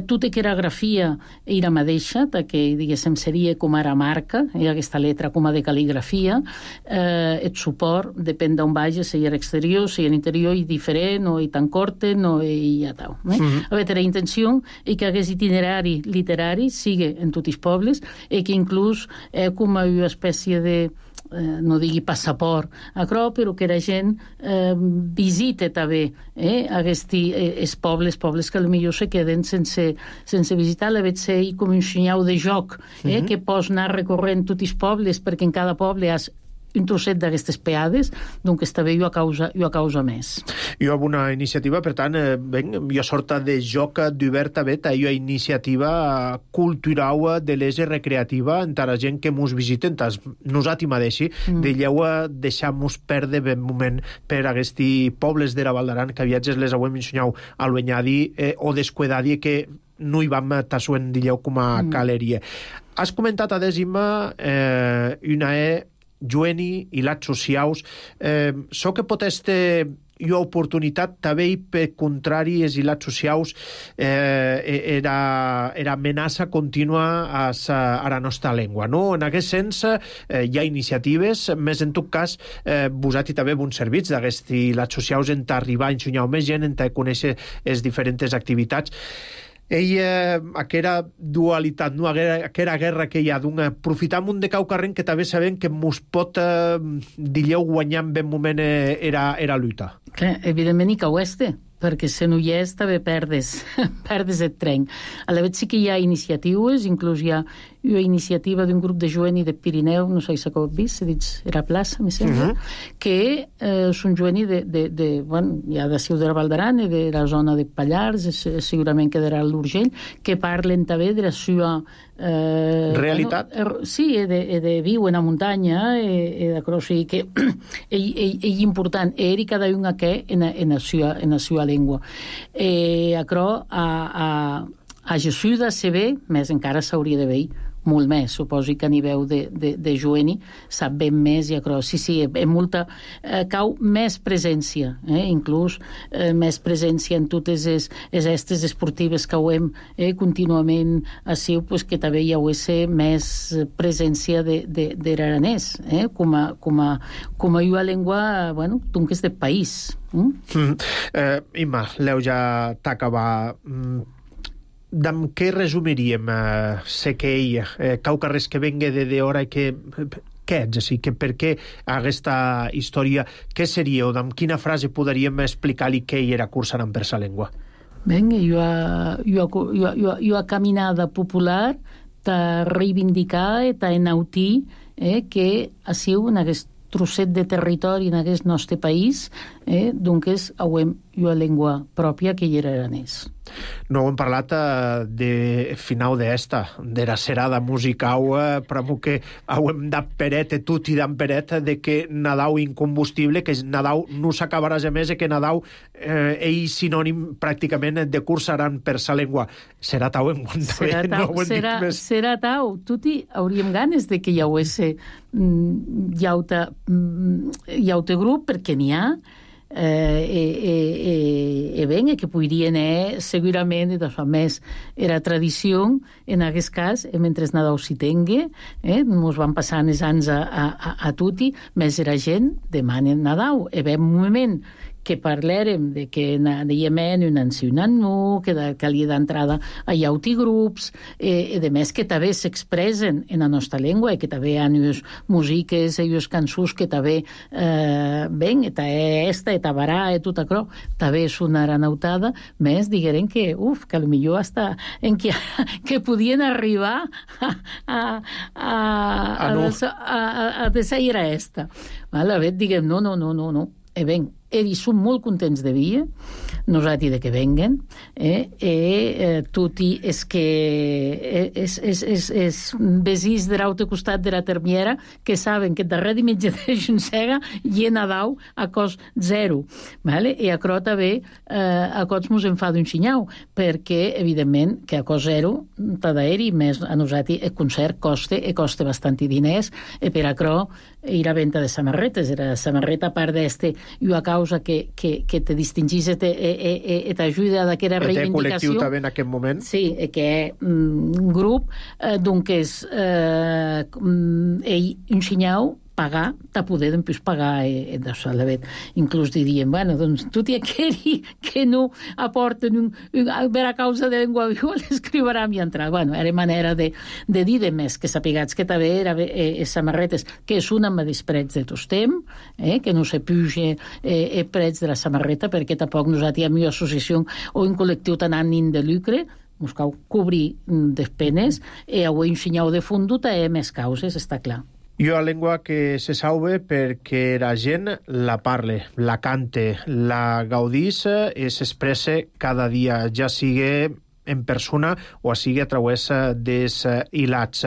Speaker 4: tota la grafia era mateixa, que, diguéssim, seria com ara marca, aquesta letra com a de cal·ligrafia, el suport, depèn d'on vagi, si hi ha exterior, si hi ha interior, i diferent, o i tan corten, o i ja tal. A veure, la intenció és que aquest itinerari literari sigui en tots els pobles, i que inclús com una espècie de no digui passaport però que la gent visite també els pobles que potser se queden sense visitar. La veig ser com un senyal de joc que pots anar recorrent tots els pobles, perquè en cada poble has un trosset d'aquestes peades, doncs també jo a causa més.
Speaker 2: Jo amb una iniciativa, per tant, jo sorta de joc d'obert a vet, jo iniciativa cultural de l'ese recreativa entre la gent que mos visiten, nosaltres mateixi, deixar-nos perdre ben moment per aquests pobles de la Val d'Aran que viatges les auem ensenyau a l'Oenyadi o d'Escuedadi que no hi vam tassuent dilleu com a caleria. Has comentat a Imma una Jueni i lats socials. So que pot estar una oportunitat també per contrari els lats socials era amenaça contínua a la nostra llengua, no? En aquest sens hi ha iniciatives, més en tot cas vosaltres també bons servits d'aquests lats socials en arribar a ensenyar més gent, en conèixer les diferents activitats. Aquella dualitat, no? Aquella guerra que hi ha aprofitam un de cau carrent que també sabem que mos pot guanyar en ben moment era lluita.
Speaker 4: Evidentment i cau perquè si no hi és també perdes el tren. A la vegada sí que hi ha iniciatives, inclús hi ha una iniciativa d'un grup de jovenys de Pirineu, no sé si ho heu vist, s'ha dit era plaça, me sembla, que són jovenys hi ha de Ciu de la Val d'Aran i de la zona de Pallars, segurament quedarà a l'Urgell, que parlen també de la seva
Speaker 2: realitat.
Speaker 4: Sí, de viu en la muntanya, o sigui que és important, i cada un que en la seva llengua. A Jesús se ve, més encara s'hauria de veure molt més. Suposi que a nivell de jueni sap ben més, i acro. Sí, molta, cau més presència, inclús més presència en totes les estes esportives que ho hem contínuament així, pues, que també hi ha més presència de l'aranès, com a llengua, bueno, d'un que és de país.
Speaker 2: Imma, l'heu ja t'acabar. D'en què resumiríem sé que ell, Caucarres que venga de hora i que... Què ets, així? Per què aquesta història? Què seria, o d'en quina frase podríem explicar-li què ell era cursant per sa llengua?
Speaker 4: Ben, jo a caminada popular ta reivindicar i ta enautir que ha sigut en aquest trosset de territori en aquest nostre país, doncs auem una llengua pròpia que hi era aranès.
Speaker 2: No hem parlat de final d'esta, de la serada musical, però que hem dat peret, tot i dan peret, de que Nadal incombustible, que Nadal no s'acabarà jamais, i que Nadal és sinònim pràcticament de cursaran per sa llengua. Serà tau en quant a
Speaker 4: serà tau. Tot i hauríem ganes de que hi hagués llaute grup, perquè n'hi ha, ben, que podrien segurament més era tradició en aquest cas, mentre Nadal s'hi tingui, ens van passant els anys a tutti, més era gent demana Nadal, ve un moment que parlèrem de que dèiem un ancionant no, que calia d'entrada a llauti grups, i de més que també s'expressen en la nostra llengua, i que també hi ha unes músiques i unes cançons que també ben, i tabarà, i tot això, també sonaran autada, més digueren que, que potser hasta en que podien arribar a desaire esta. A veure, diguem, no. Ben, ells són molt contents de vir, nosaltres de que venguen, tot i és que és vesins de l'altre costat de la termiera que saben que darrere dimitge de Juncega hi ha Nadal a cost zero, i a Crota també a cost mos en fa d'un xinyau, perquè evidentment que a cost zero t'ha d'aeri, més a nosaltres el concert costa bastant diners, i per a Cro i la venda de samarretes, era samarreta a part d'este, i a causa que te distingís i t'ajuda d'aquesta reivindicació.
Speaker 2: Té col·lectiu també en aquest moment.
Speaker 4: Sí, que un grup, doncs un xinyau pagar, ta poder després pagar inclús diríem, bueno, doncs tot i aquell que no aporten per a causa de llengua viva l'escriuran i entrar. Bueno, era manera de dir de més, que sapigats que també era samarretes, que és una amb els prets de tostem, que no se puja prets de la samarreta, perquè tampoc nosaltres amb una associació o un col·lectiu tan ànim de lucre, ens cal cobrir despenes, i avui un xinyau de fondo té més causes, està clar.
Speaker 2: I una llengua que se salve perquè la gent la parle, la cante, la gaudís i s'expressa cada dia, ja sigui en persona o sigui a través dels hilats.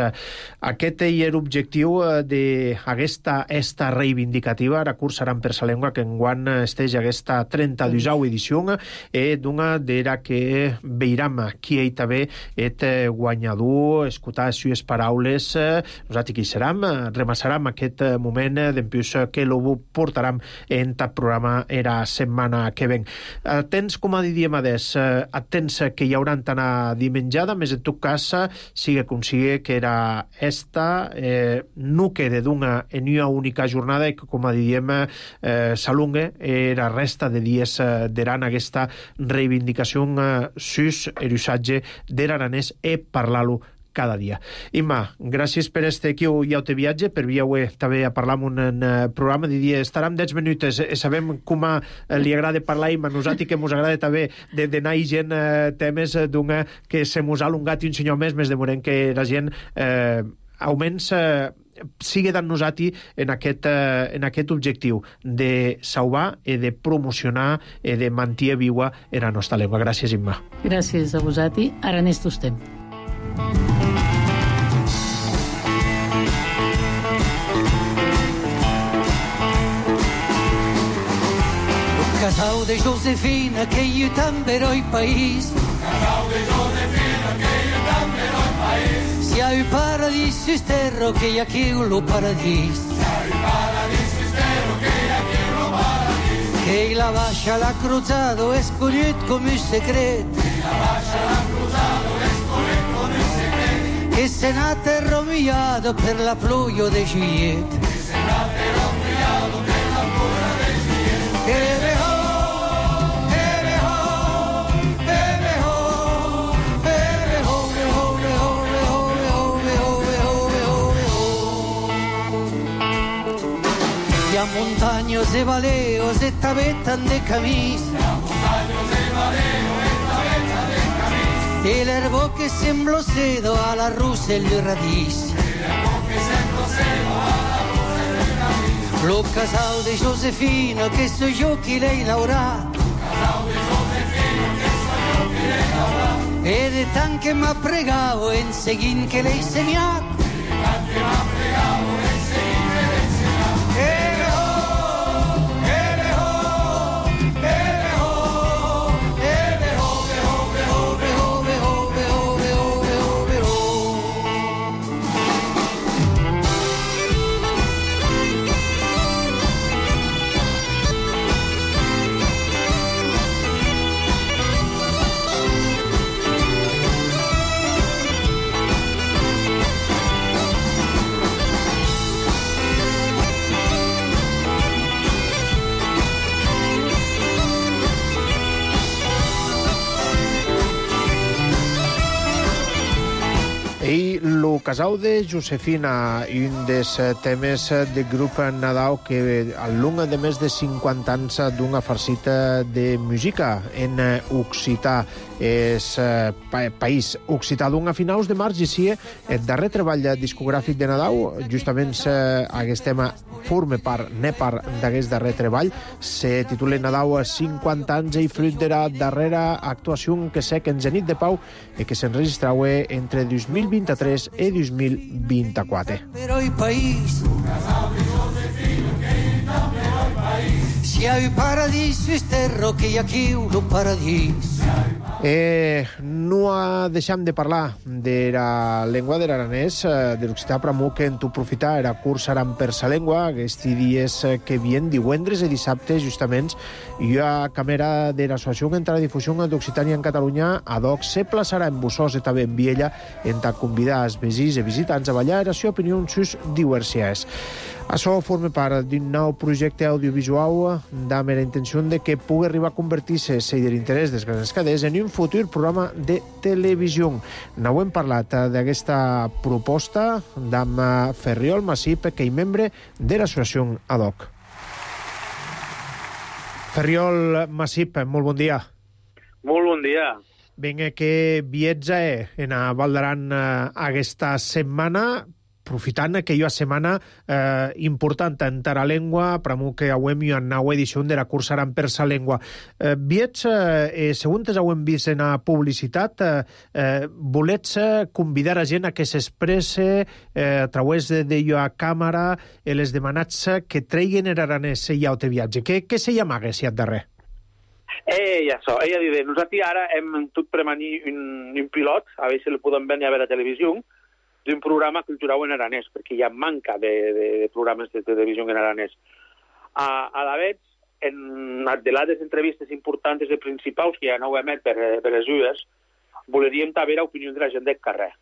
Speaker 2: Aquest és l'objectiu d'aquesta reivindicativa, la cursaran per sa llengua, que enguany esteix aquesta 32a edició, d'una d'era que veiram qui ell també és guanyador, escoltar les sues paraules, nosaltres qui seram, remassarem aquest moment d'empús que lo portaram en el programa la setmana que ven. Atents, com a diríem atents que hi haurà a dimenjada, més en tot cas sigue com sigue que era esta no quede d'una en una única jornada i que, com a diem, s'alungue la resta de dies d'aran aquesta reivindicació sus l'usatge de l'aranès i parlar-lo cada dia. Imma, gràcies per este aquí i auto viatge, per via també a parlar en un programa, diria, estarem 10 minuts, sabem com li agrada parlar Imma, nosaltres que mos agrada també d'anar gent temes d'una que se mos ha alungat un senyor més demorem que la gent augments sigue dant nosaltres en aquest objectiu de salvar i de promocionar i de mantenir viva la nostra llengua. Gràcies, Imma.
Speaker 4: Gràcies a vosaltres. Aranès tostem.
Speaker 5: Casal de Josefina, que io també eroi país. Casal de Josefina, que io també eroi país. Si hai para paradiso esterro che hi ha qui lo paradís. Que la baixa l'ha cruzado escollit com un secret. Que se n'ha terromillato per la pluja de Juliet. Hi ha muntanyos de baleos e tabetan de camisa. E l'erbo che sembra sedo alla russa e il radis. Lo casal de Josefina che so io chi lei l'aurà. E de tant che m'ha pregato en seguint che lei segnat.
Speaker 2: I el casau de Josefina, un dels temes del grup Nadau que al long de més de 50 anys d'una farcita de música en occità, és país occità d'una finals de març, i sí, el darrer treball discogràfic de Nadau, justament aquest tema forma part, ne part d'aquest darrer treball, se titula Nadau 50 anys i fruit de la darrera actuació que sec en Zenit de Pau i que s'enregistrava entre 2023 i 2024.
Speaker 5: Però il país si ha il paradiso esterro che hi ha qui lo paradís.
Speaker 2: No deixem de parlar de la llengua de l'aranès, de l'occità pramú, que en tu profitar era curs aran per sa llengua, aquests dies que vien divendres i dissabtes, justament, hi ha càmera de l'Associació entre la difusió d'Occitània en Catalunya, ad hoc se plaçarà en Bussós i també en Viella, en ta convidar els veïns i visitants a ballar la seva opinió sus diverses. Això forma part d'un nou projecte audiovisual amb la intenció de que pugui arribar a convertir-se, si de l'interès dels grans cadets, en un futur programa de televisió. N'ho hem parlat d'aquesta proposta amb Ferriol Massip, que és membre de l'associació ad hoc. Ferriol Massip, molt bon dia.
Speaker 6: Molt bon dia.
Speaker 2: Vinga, que viatja en a Val d'Aran aquesta setmana, aprofitant que hi ha setmana important en la llengua, pramú que avem una nova edició de la cursa Aran per sa llengua. Viets, segons hem vist en la publicitat, volets convidar a gent a que s'expresse a través de la càmera les demanats que treguin l'aranès i el viatge. Què se llamaga, si et darrer?
Speaker 6: Això, ella diu, nosaltres ara hem tot premanir un pilot, a veure si el podem venir a veure a televisió, d'un programa cultural en aranès, perquè hi ha manca de programes de televisió en aranès. A la vegada, en de les entrevistes importants i principals que ja no ho emet per les UES, voleríem també l'opinió de la gent del carrer.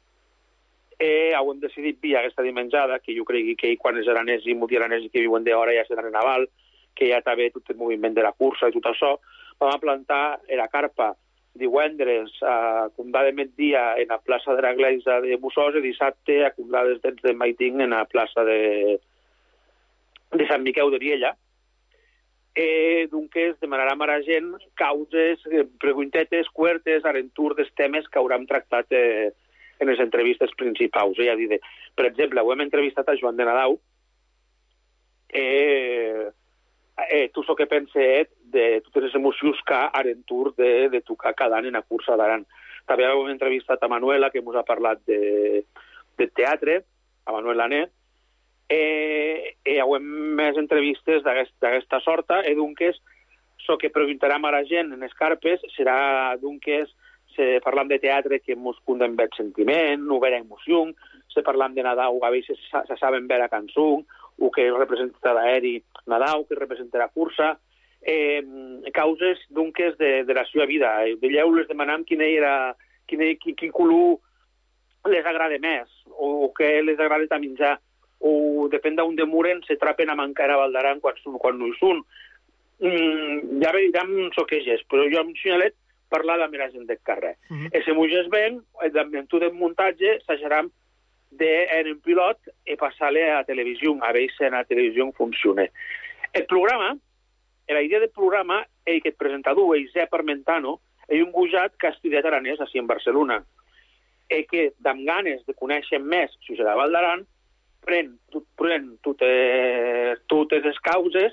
Speaker 6: Hem decidit via aquesta dimenjada, que jo crec que quan els aranès i multiaranès que viuen d'hora ja seran en aval, que hi ha també tot el moviment de la cursa i tot això, vam plantar la carpa divendres a Condà de Migdia en la plaça de l'Església de Bussós i dissabte a Condà dels Dents de Maiting en la plaça de Sant Miquel de Riella. Doncs demanarem a la gent causes, preguntetes, cuertes, arentur dels temes que haurem tractat en les entrevistes principals. Per exemple, hem entrevistat a Joan de Nadau, tu so que penses de totes les emocions que arentur de tocar cada any en la cursa d'Aran. També hem entrevistat a Manuela, que ens ha parlat de teatre, a Manuela Net, i hem més entrevistes d'aquesta sorta, i doncs, el que preguntarem a la gent en les carpes serà, doncs, parlant de teatre que ens condem bé sentiment, no vera emoció, se parlam de Nadal, a vegades se saben veure cançó, o que representa l'aeri Nadal, que representa la cursa, causes d'unques de la seva vida. Veieu, les demanam quin color les agrada més, o què les agrada a menjar, o depèn d'on demoren, se trapen a mancar a Valdaran quan no hi són. Ja veiem soqueges, però jo amb Xinalet parlar amb la gent del carrer. I si muges ben, en tot el muntatge, s'ajaram en un pilot i passar-le a la televisió, a veure si a la televisió funciona. El programa, la idea del programa, és que el presentador, Josep Armentano, és un gujat que ha estudiat aranès així en Barcelona, i que, amb ganes de conèixer més si serà Valdaran, pren totes les causes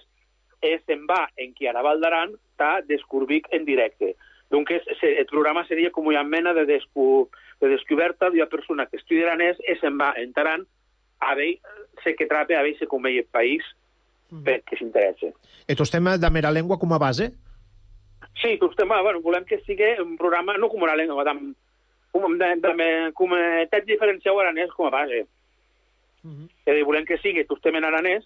Speaker 6: i se'n va en qui ara Valdaran a descobrir en directe. Donc, el programa seria com una mena de descoberta d'una persona que estudia aranès i se'n va entrant a veure què trapa, a veure com veia el país, perquè s'interessa.
Speaker 2: I tu estem de mera llengua com a base?
Speaker 6: Sí, volem que sigui un programa, no com una llengua, com a text diferencial aranès com a base. Volem que sigui tostem en aranès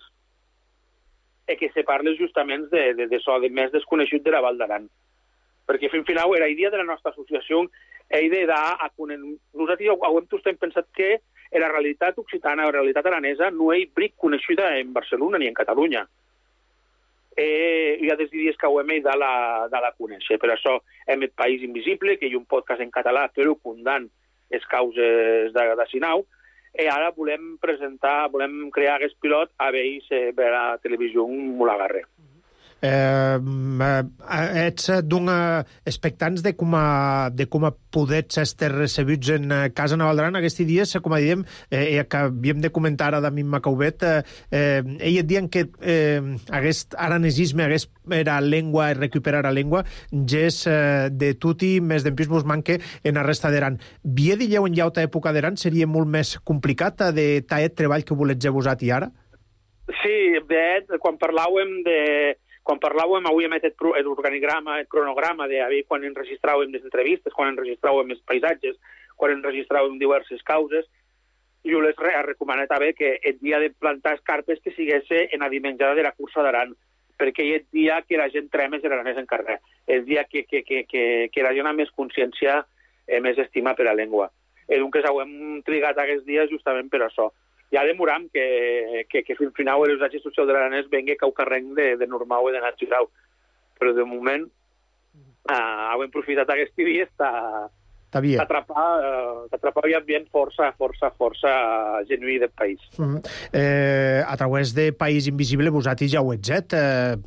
Speaker 6: i que se parli justament d'això, de més desconegut de la Val d'Aran. Perquè fins final la idea de la nostra associació és nosaltres hem pensat que la realitat occitana, la realitat aranesa, no és bric coneguda en Barcelona ni en Catalunya. Hi ha des dies que ho hem de la conèixer. Per això hem el País Invisible, que hi ha un podcast en català, però condant les causes de Sinau, i ara volem crear aquest pilot a veure si la televisió m'ho l'agarra.
Speaker 2: Ets expectants de com a podets estar recebuts en casa Nova Valdaran aquests dies, com a diem, que havíem de comentar ara d'Amin Macaubet, ell et diuen que aquest aranesisme, aquesta llengua, recuperar la llengua, és de tutti, més d'empís vos manque en la resta d'Aran. Vie dilleu en llauta època d'Aran seria molt més complicat de taet treball que volets vosat i ara?
Speaker 6: Sí, quan parlàvem, avui hem fet l'organigrama, el cronograma de quan enregistràvem les entrevistes, quan enregistràvem els paisatges, quan enregistràvem diverses causes, jo les he recomanat que el dia de plantar escarpes que sigués en la dimenjada de la cursa d'Aran, perquè és el dia que la gent trema els aranès en carrer, el dia que la gent ha més consciència i més estima per la llengua. I doncs hem trigat aquests dies justament per això. Ja demoram que fins final l'usatge social de l'aranès vengui que ho carreng de normal i de natural. Però de moment hem aprofitat aquests dies d'atrapar un ambient força genuí del país.
Speaker 2: A través de País Invisible vosaltres ja ho ets,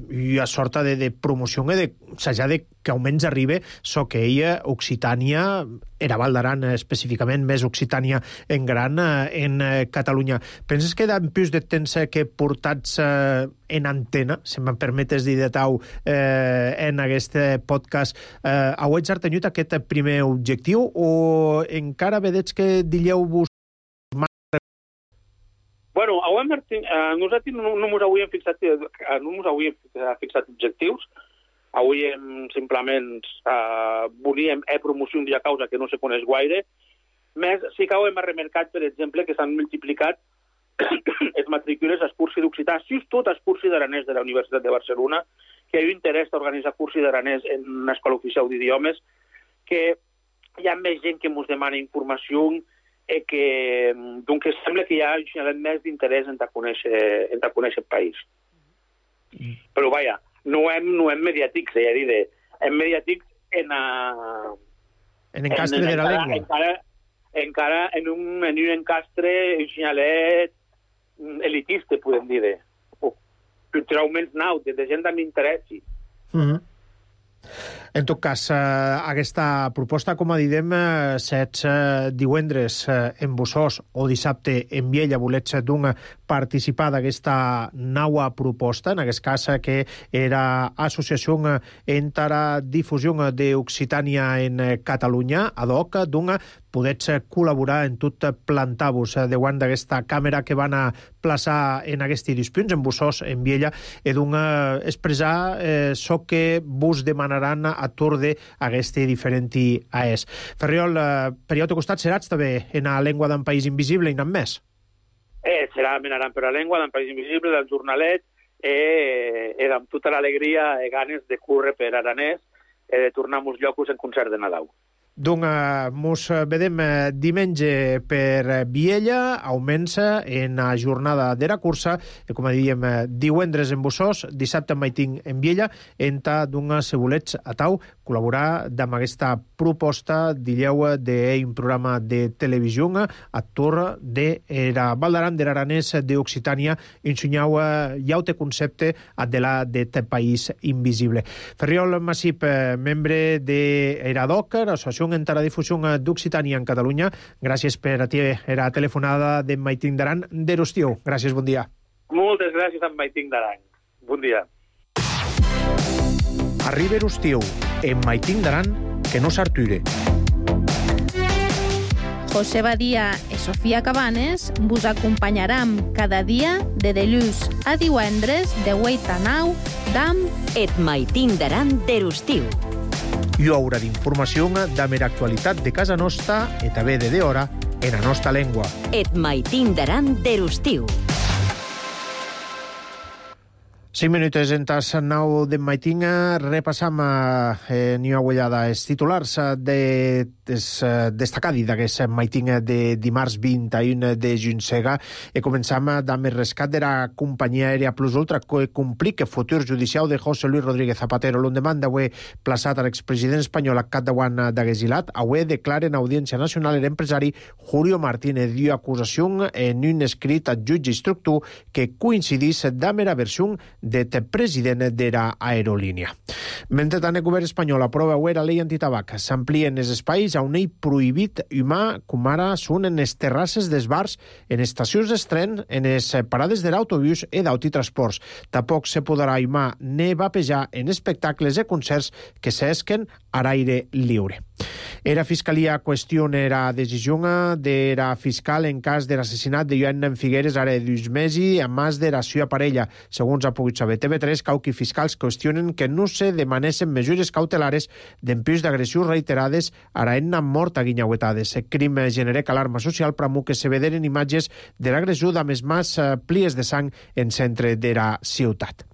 Speaker 2: i a sorta de promoció de s'haja de que almenys arribi so que ella, Occitània, era Val d'Aran específicament, més Occitània en gran en Catalunya. Penses que d'ampius de temps que portats en antena, si me'n permetes dir de tau, en aquest podcast, heu exertenut aquest primer objectiu o encara vedets que dilleu-vos?
Speaker 6: Bueno, nosaltres no ens havíem fixat objectius. Avui simplement volíem promoció d'una causa que no se coneix gaire. Més, sí que hem remarcat, per exemple, que s'han multiplicat les matrícules als cursos d'occità, tot els cursos d'aranès de la Universitat de Barcelona, que hi ha interès d'organitzar cursos d'aranès en una escola oficial d'idiomes, que hi ha més gent que ens demana informació i que sembla que hi ha més d'interès en conèixer el país. Però, vaja, no hem mediàtics, hem mediàtics en
Speaker 2: encastre de la llengua.
Speaker 6: Encara en un encastre xinalet elitista, podem dir, culturalment naut, de gent amb interès.
Speaker 2: En tot cas, aquesta proposta, com a didem, sets divendres en Bossós o dissabte en Viella, volets participar d'aquesta nova proposta, en aquest cas que era Associació entre la Difusió d'Occitània en Catalunya, ad hoc, podets col·laborar en tot plantar-vos davant d'aquesta càmera que van a plaçar en aquests dispunts, en Bossós, en Viella, i expressar això que vos demanaran atur d'aqueste diferent AES. Ferriol, per jo te costat seràs també en la llengua d'un país invisible i n'han més?
Speaker 6: Serà menaran per la llengua d'un país invisible, del jornalet, amb tota l'alegria i ganes de córrer per Aranès i de tornar a molts llocs en concert de Nadal.
Speaker 2: Donc, mos vedem diumenge per Viella, augmença en la jornada de la cursa, i com dèiem, divendres en Bussós, dissabte en Maiting en Viella, enta d'un se volets a tau col·laborar amb aquesta proposta, dilleu, d'un programa de televisió a tour de la Val d'Aran, de l'Aranès d'Occitània, ensenyau llaute concepte de l'Adet País Invisible. Ferriol Massip, membre de l'ADOC, l'Associació en la difusió d'Occitània en Catalunya. Gràcies per a ti la telefonada de Maiting d'Aran d'Erostiu. Gràcies, bon dia.
Speaker 6: Moltes gràcies a Maiting d'Aran. Bon dia.
Speaker 2: Arriba Erostiu, en Maiting d'Aran, que no s'arture.
Speaker 7: José Badia i Sofia Cabanes vos acompanyaram cada dia de dilluns a divendres de 8 a 9 d'Am
Speaker 1: Et Maiting d'Aran d'Erostiu.
Speaker 2: Hi haurà d'informació de mera actualitat de casa nostra i també de hora en la nostra llengua.
Speaker 1: Et Maiting d'Aran d'Erostiu.
Speaker 2: 5 minuts en tas 9 de Maiting. Repassam ni una ullada els titulars destacats d'aquest Maiting de dimarts 21 de juny. I començam amb el rescat de la companyia aèria Plus Ultra que complica el futur judicial de José Luis Rodríguez Zapatero. L'endemà d'avui plaçat a l'expresident espanyol a capdavant d'Aguesilat, avui declara en audiència nacional l'empresari Julio Martínez dio acusació en un escrit al jutge instructor que coincidís amb la versió del president de l'aerolínia. Mentre el govern espanyol aprova avui la llei antitabac, s'amplien els espais a un ell prohibit humà, com ara són en les terrasses dels bars, en estacions d'estren, en les parades de l'autobús i d'autotransports. Tampoc se podrà humà ni vapejar en espectacles i concerts que s'esquen a l'aire lliure. La Fiscalia qüestiona la decisió de la fiscal en cas de l'assassinat de Joan Figueres ara de 2 mesos amb més de la seva parella. Segons ha pogut saber TV3, cauqui fiscals qüestionen que no se demanessin mesures cautelares d'empús d'agressions reiterades a la enna mort a guinyauetades. El crim genera alarma social pramo que se vederen imatges de l'agressió amb els més plies de sang en centre de la ciutat.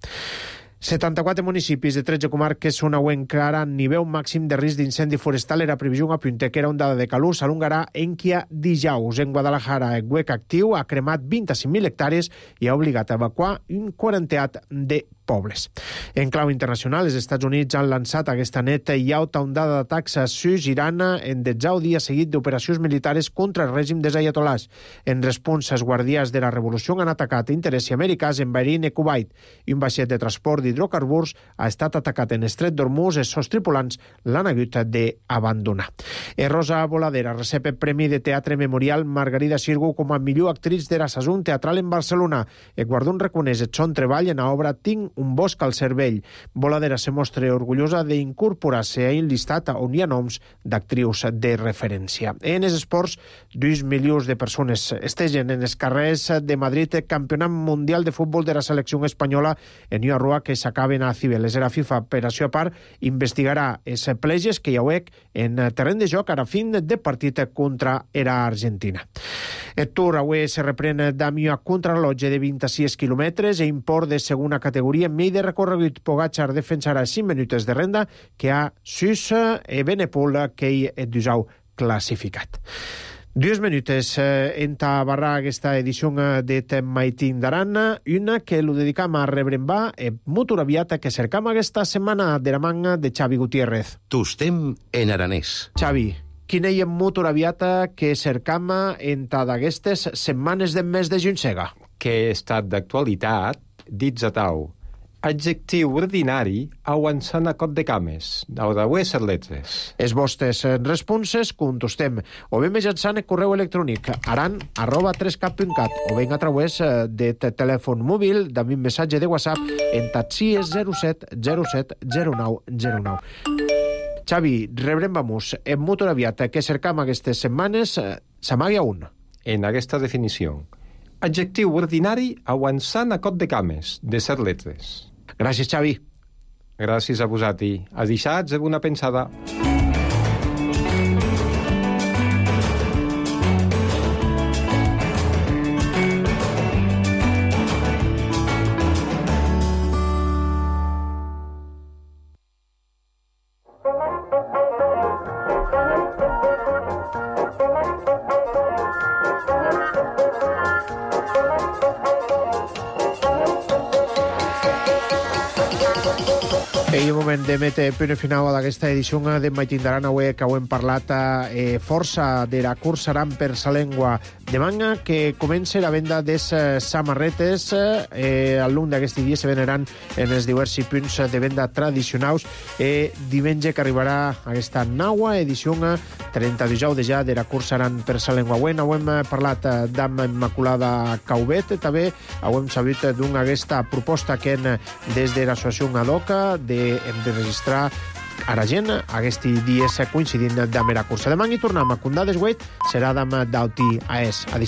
Speaker 2: 74 municipis de 13 comarques són avui encara en nivell màxim de risc d'incendi forestal. Era previsió apunta que era ondada de calor s'alongarà Enquia dijous. En Guadalajara, el GUEC actiu ha cremat 25.000 hectàrees i ha obligat a evacuar un 40 de pobles. En clau internacional, els Estats Units han lançat aquesta neta i alta ondada d'atacs a Sus, Iran, en 10 dia seguit d'operacions militares contra el règim dels ayatolás. En resposta, els guardians de la revolució han atacat interessos americans en Bahrein i Kuwait, i un vaixell de transport d'hidrocarburs ha estat atacat en Estret d'Hormuz i els seus tripulants l'han hagut d'abandonar. Rosa Voladera recep el Premi de Teatre Memorial Margarida Xirgu com a millor actriz de la saison teatral en Barcelona. El guardó reconeix el son treball en l'obra Tinc un bosc al cervell. Voladera se mostra orgullosa d'incorporar-se a un llistat on hi ha noms d'actrius de referència. En els esports, 2 milions de persones estegen en els carrers de Madrid el Campionat Mundial de Futbol de la selecció espanyola en una rua que s'acaben a Cibeles. La FIFA, per això a part, investigarà els pleges que hi ha en terreny de joc a fin de partit contra la Argentina. El Tour avui se reprèn amb una contrarrellotge de 26 quilòmetres i import de segona categoria en mig de recorregut. Pogacar defensarà 5 minuts de renda que ha Sus i Benepol que hi és d'usau classificat. 2 minuts en barrar aquesta edició de Maiting d'Aran, una que lo dedicam a rebrembar motor aviat que cercam aquesta setmana de la manga de Xavi Gutiérrez.
Speaker 8: Tostem en aranès.
Speaker 2: Xavi, quina hi ha motor aviat que cercam en d'aquestes setmanes del mes de juny-sega?
Speaker 9: Que estat d'actualitat, dits a tau. Adjectiu ordinari avançant a cot de cames, d'avui ser letres.
Speaker 2: Els vostres responses contestem o bé mitjançant el correu electrònic aran@3cap.cat o bé a través de telèfon mòbil amb un missatge de WhatsApp en taxies 07 07 09 09. Xavi, rebrem en motor aviat que cercam aquestes setmanes s'amaga un.
Speaker 9: En aquesta definició. Adjectiu ordinari avançant a cot de cames, de ser letres.
Speaker 2: Gràcies, Xavi.
Speaker 9: Gràcies a vosaltres. A dissabte, una pensada.
Speaker 2: I un moment de mete punt final d'aquesta edició de Maitindaran avui que ho hem parlat força de la cursa Aran per sa llengua de manga que comença la venda des samarretes al llarg d'aquest dia se veneran en els diversos punts de venda tradicionals diumenge que arribarà aquesta nova edició 32 de ja de la cursa Aran per sa llengua. Avui ho hem parlat d'Amma Immaculada Caubet, també ho hem sabut d'una aquesta proposta que des de l'associació Adoca de registrar a la gent aquests dies coincidint amb la cursa. Demà hi tornem a Condades Wade, serà demà d'Auti a Es.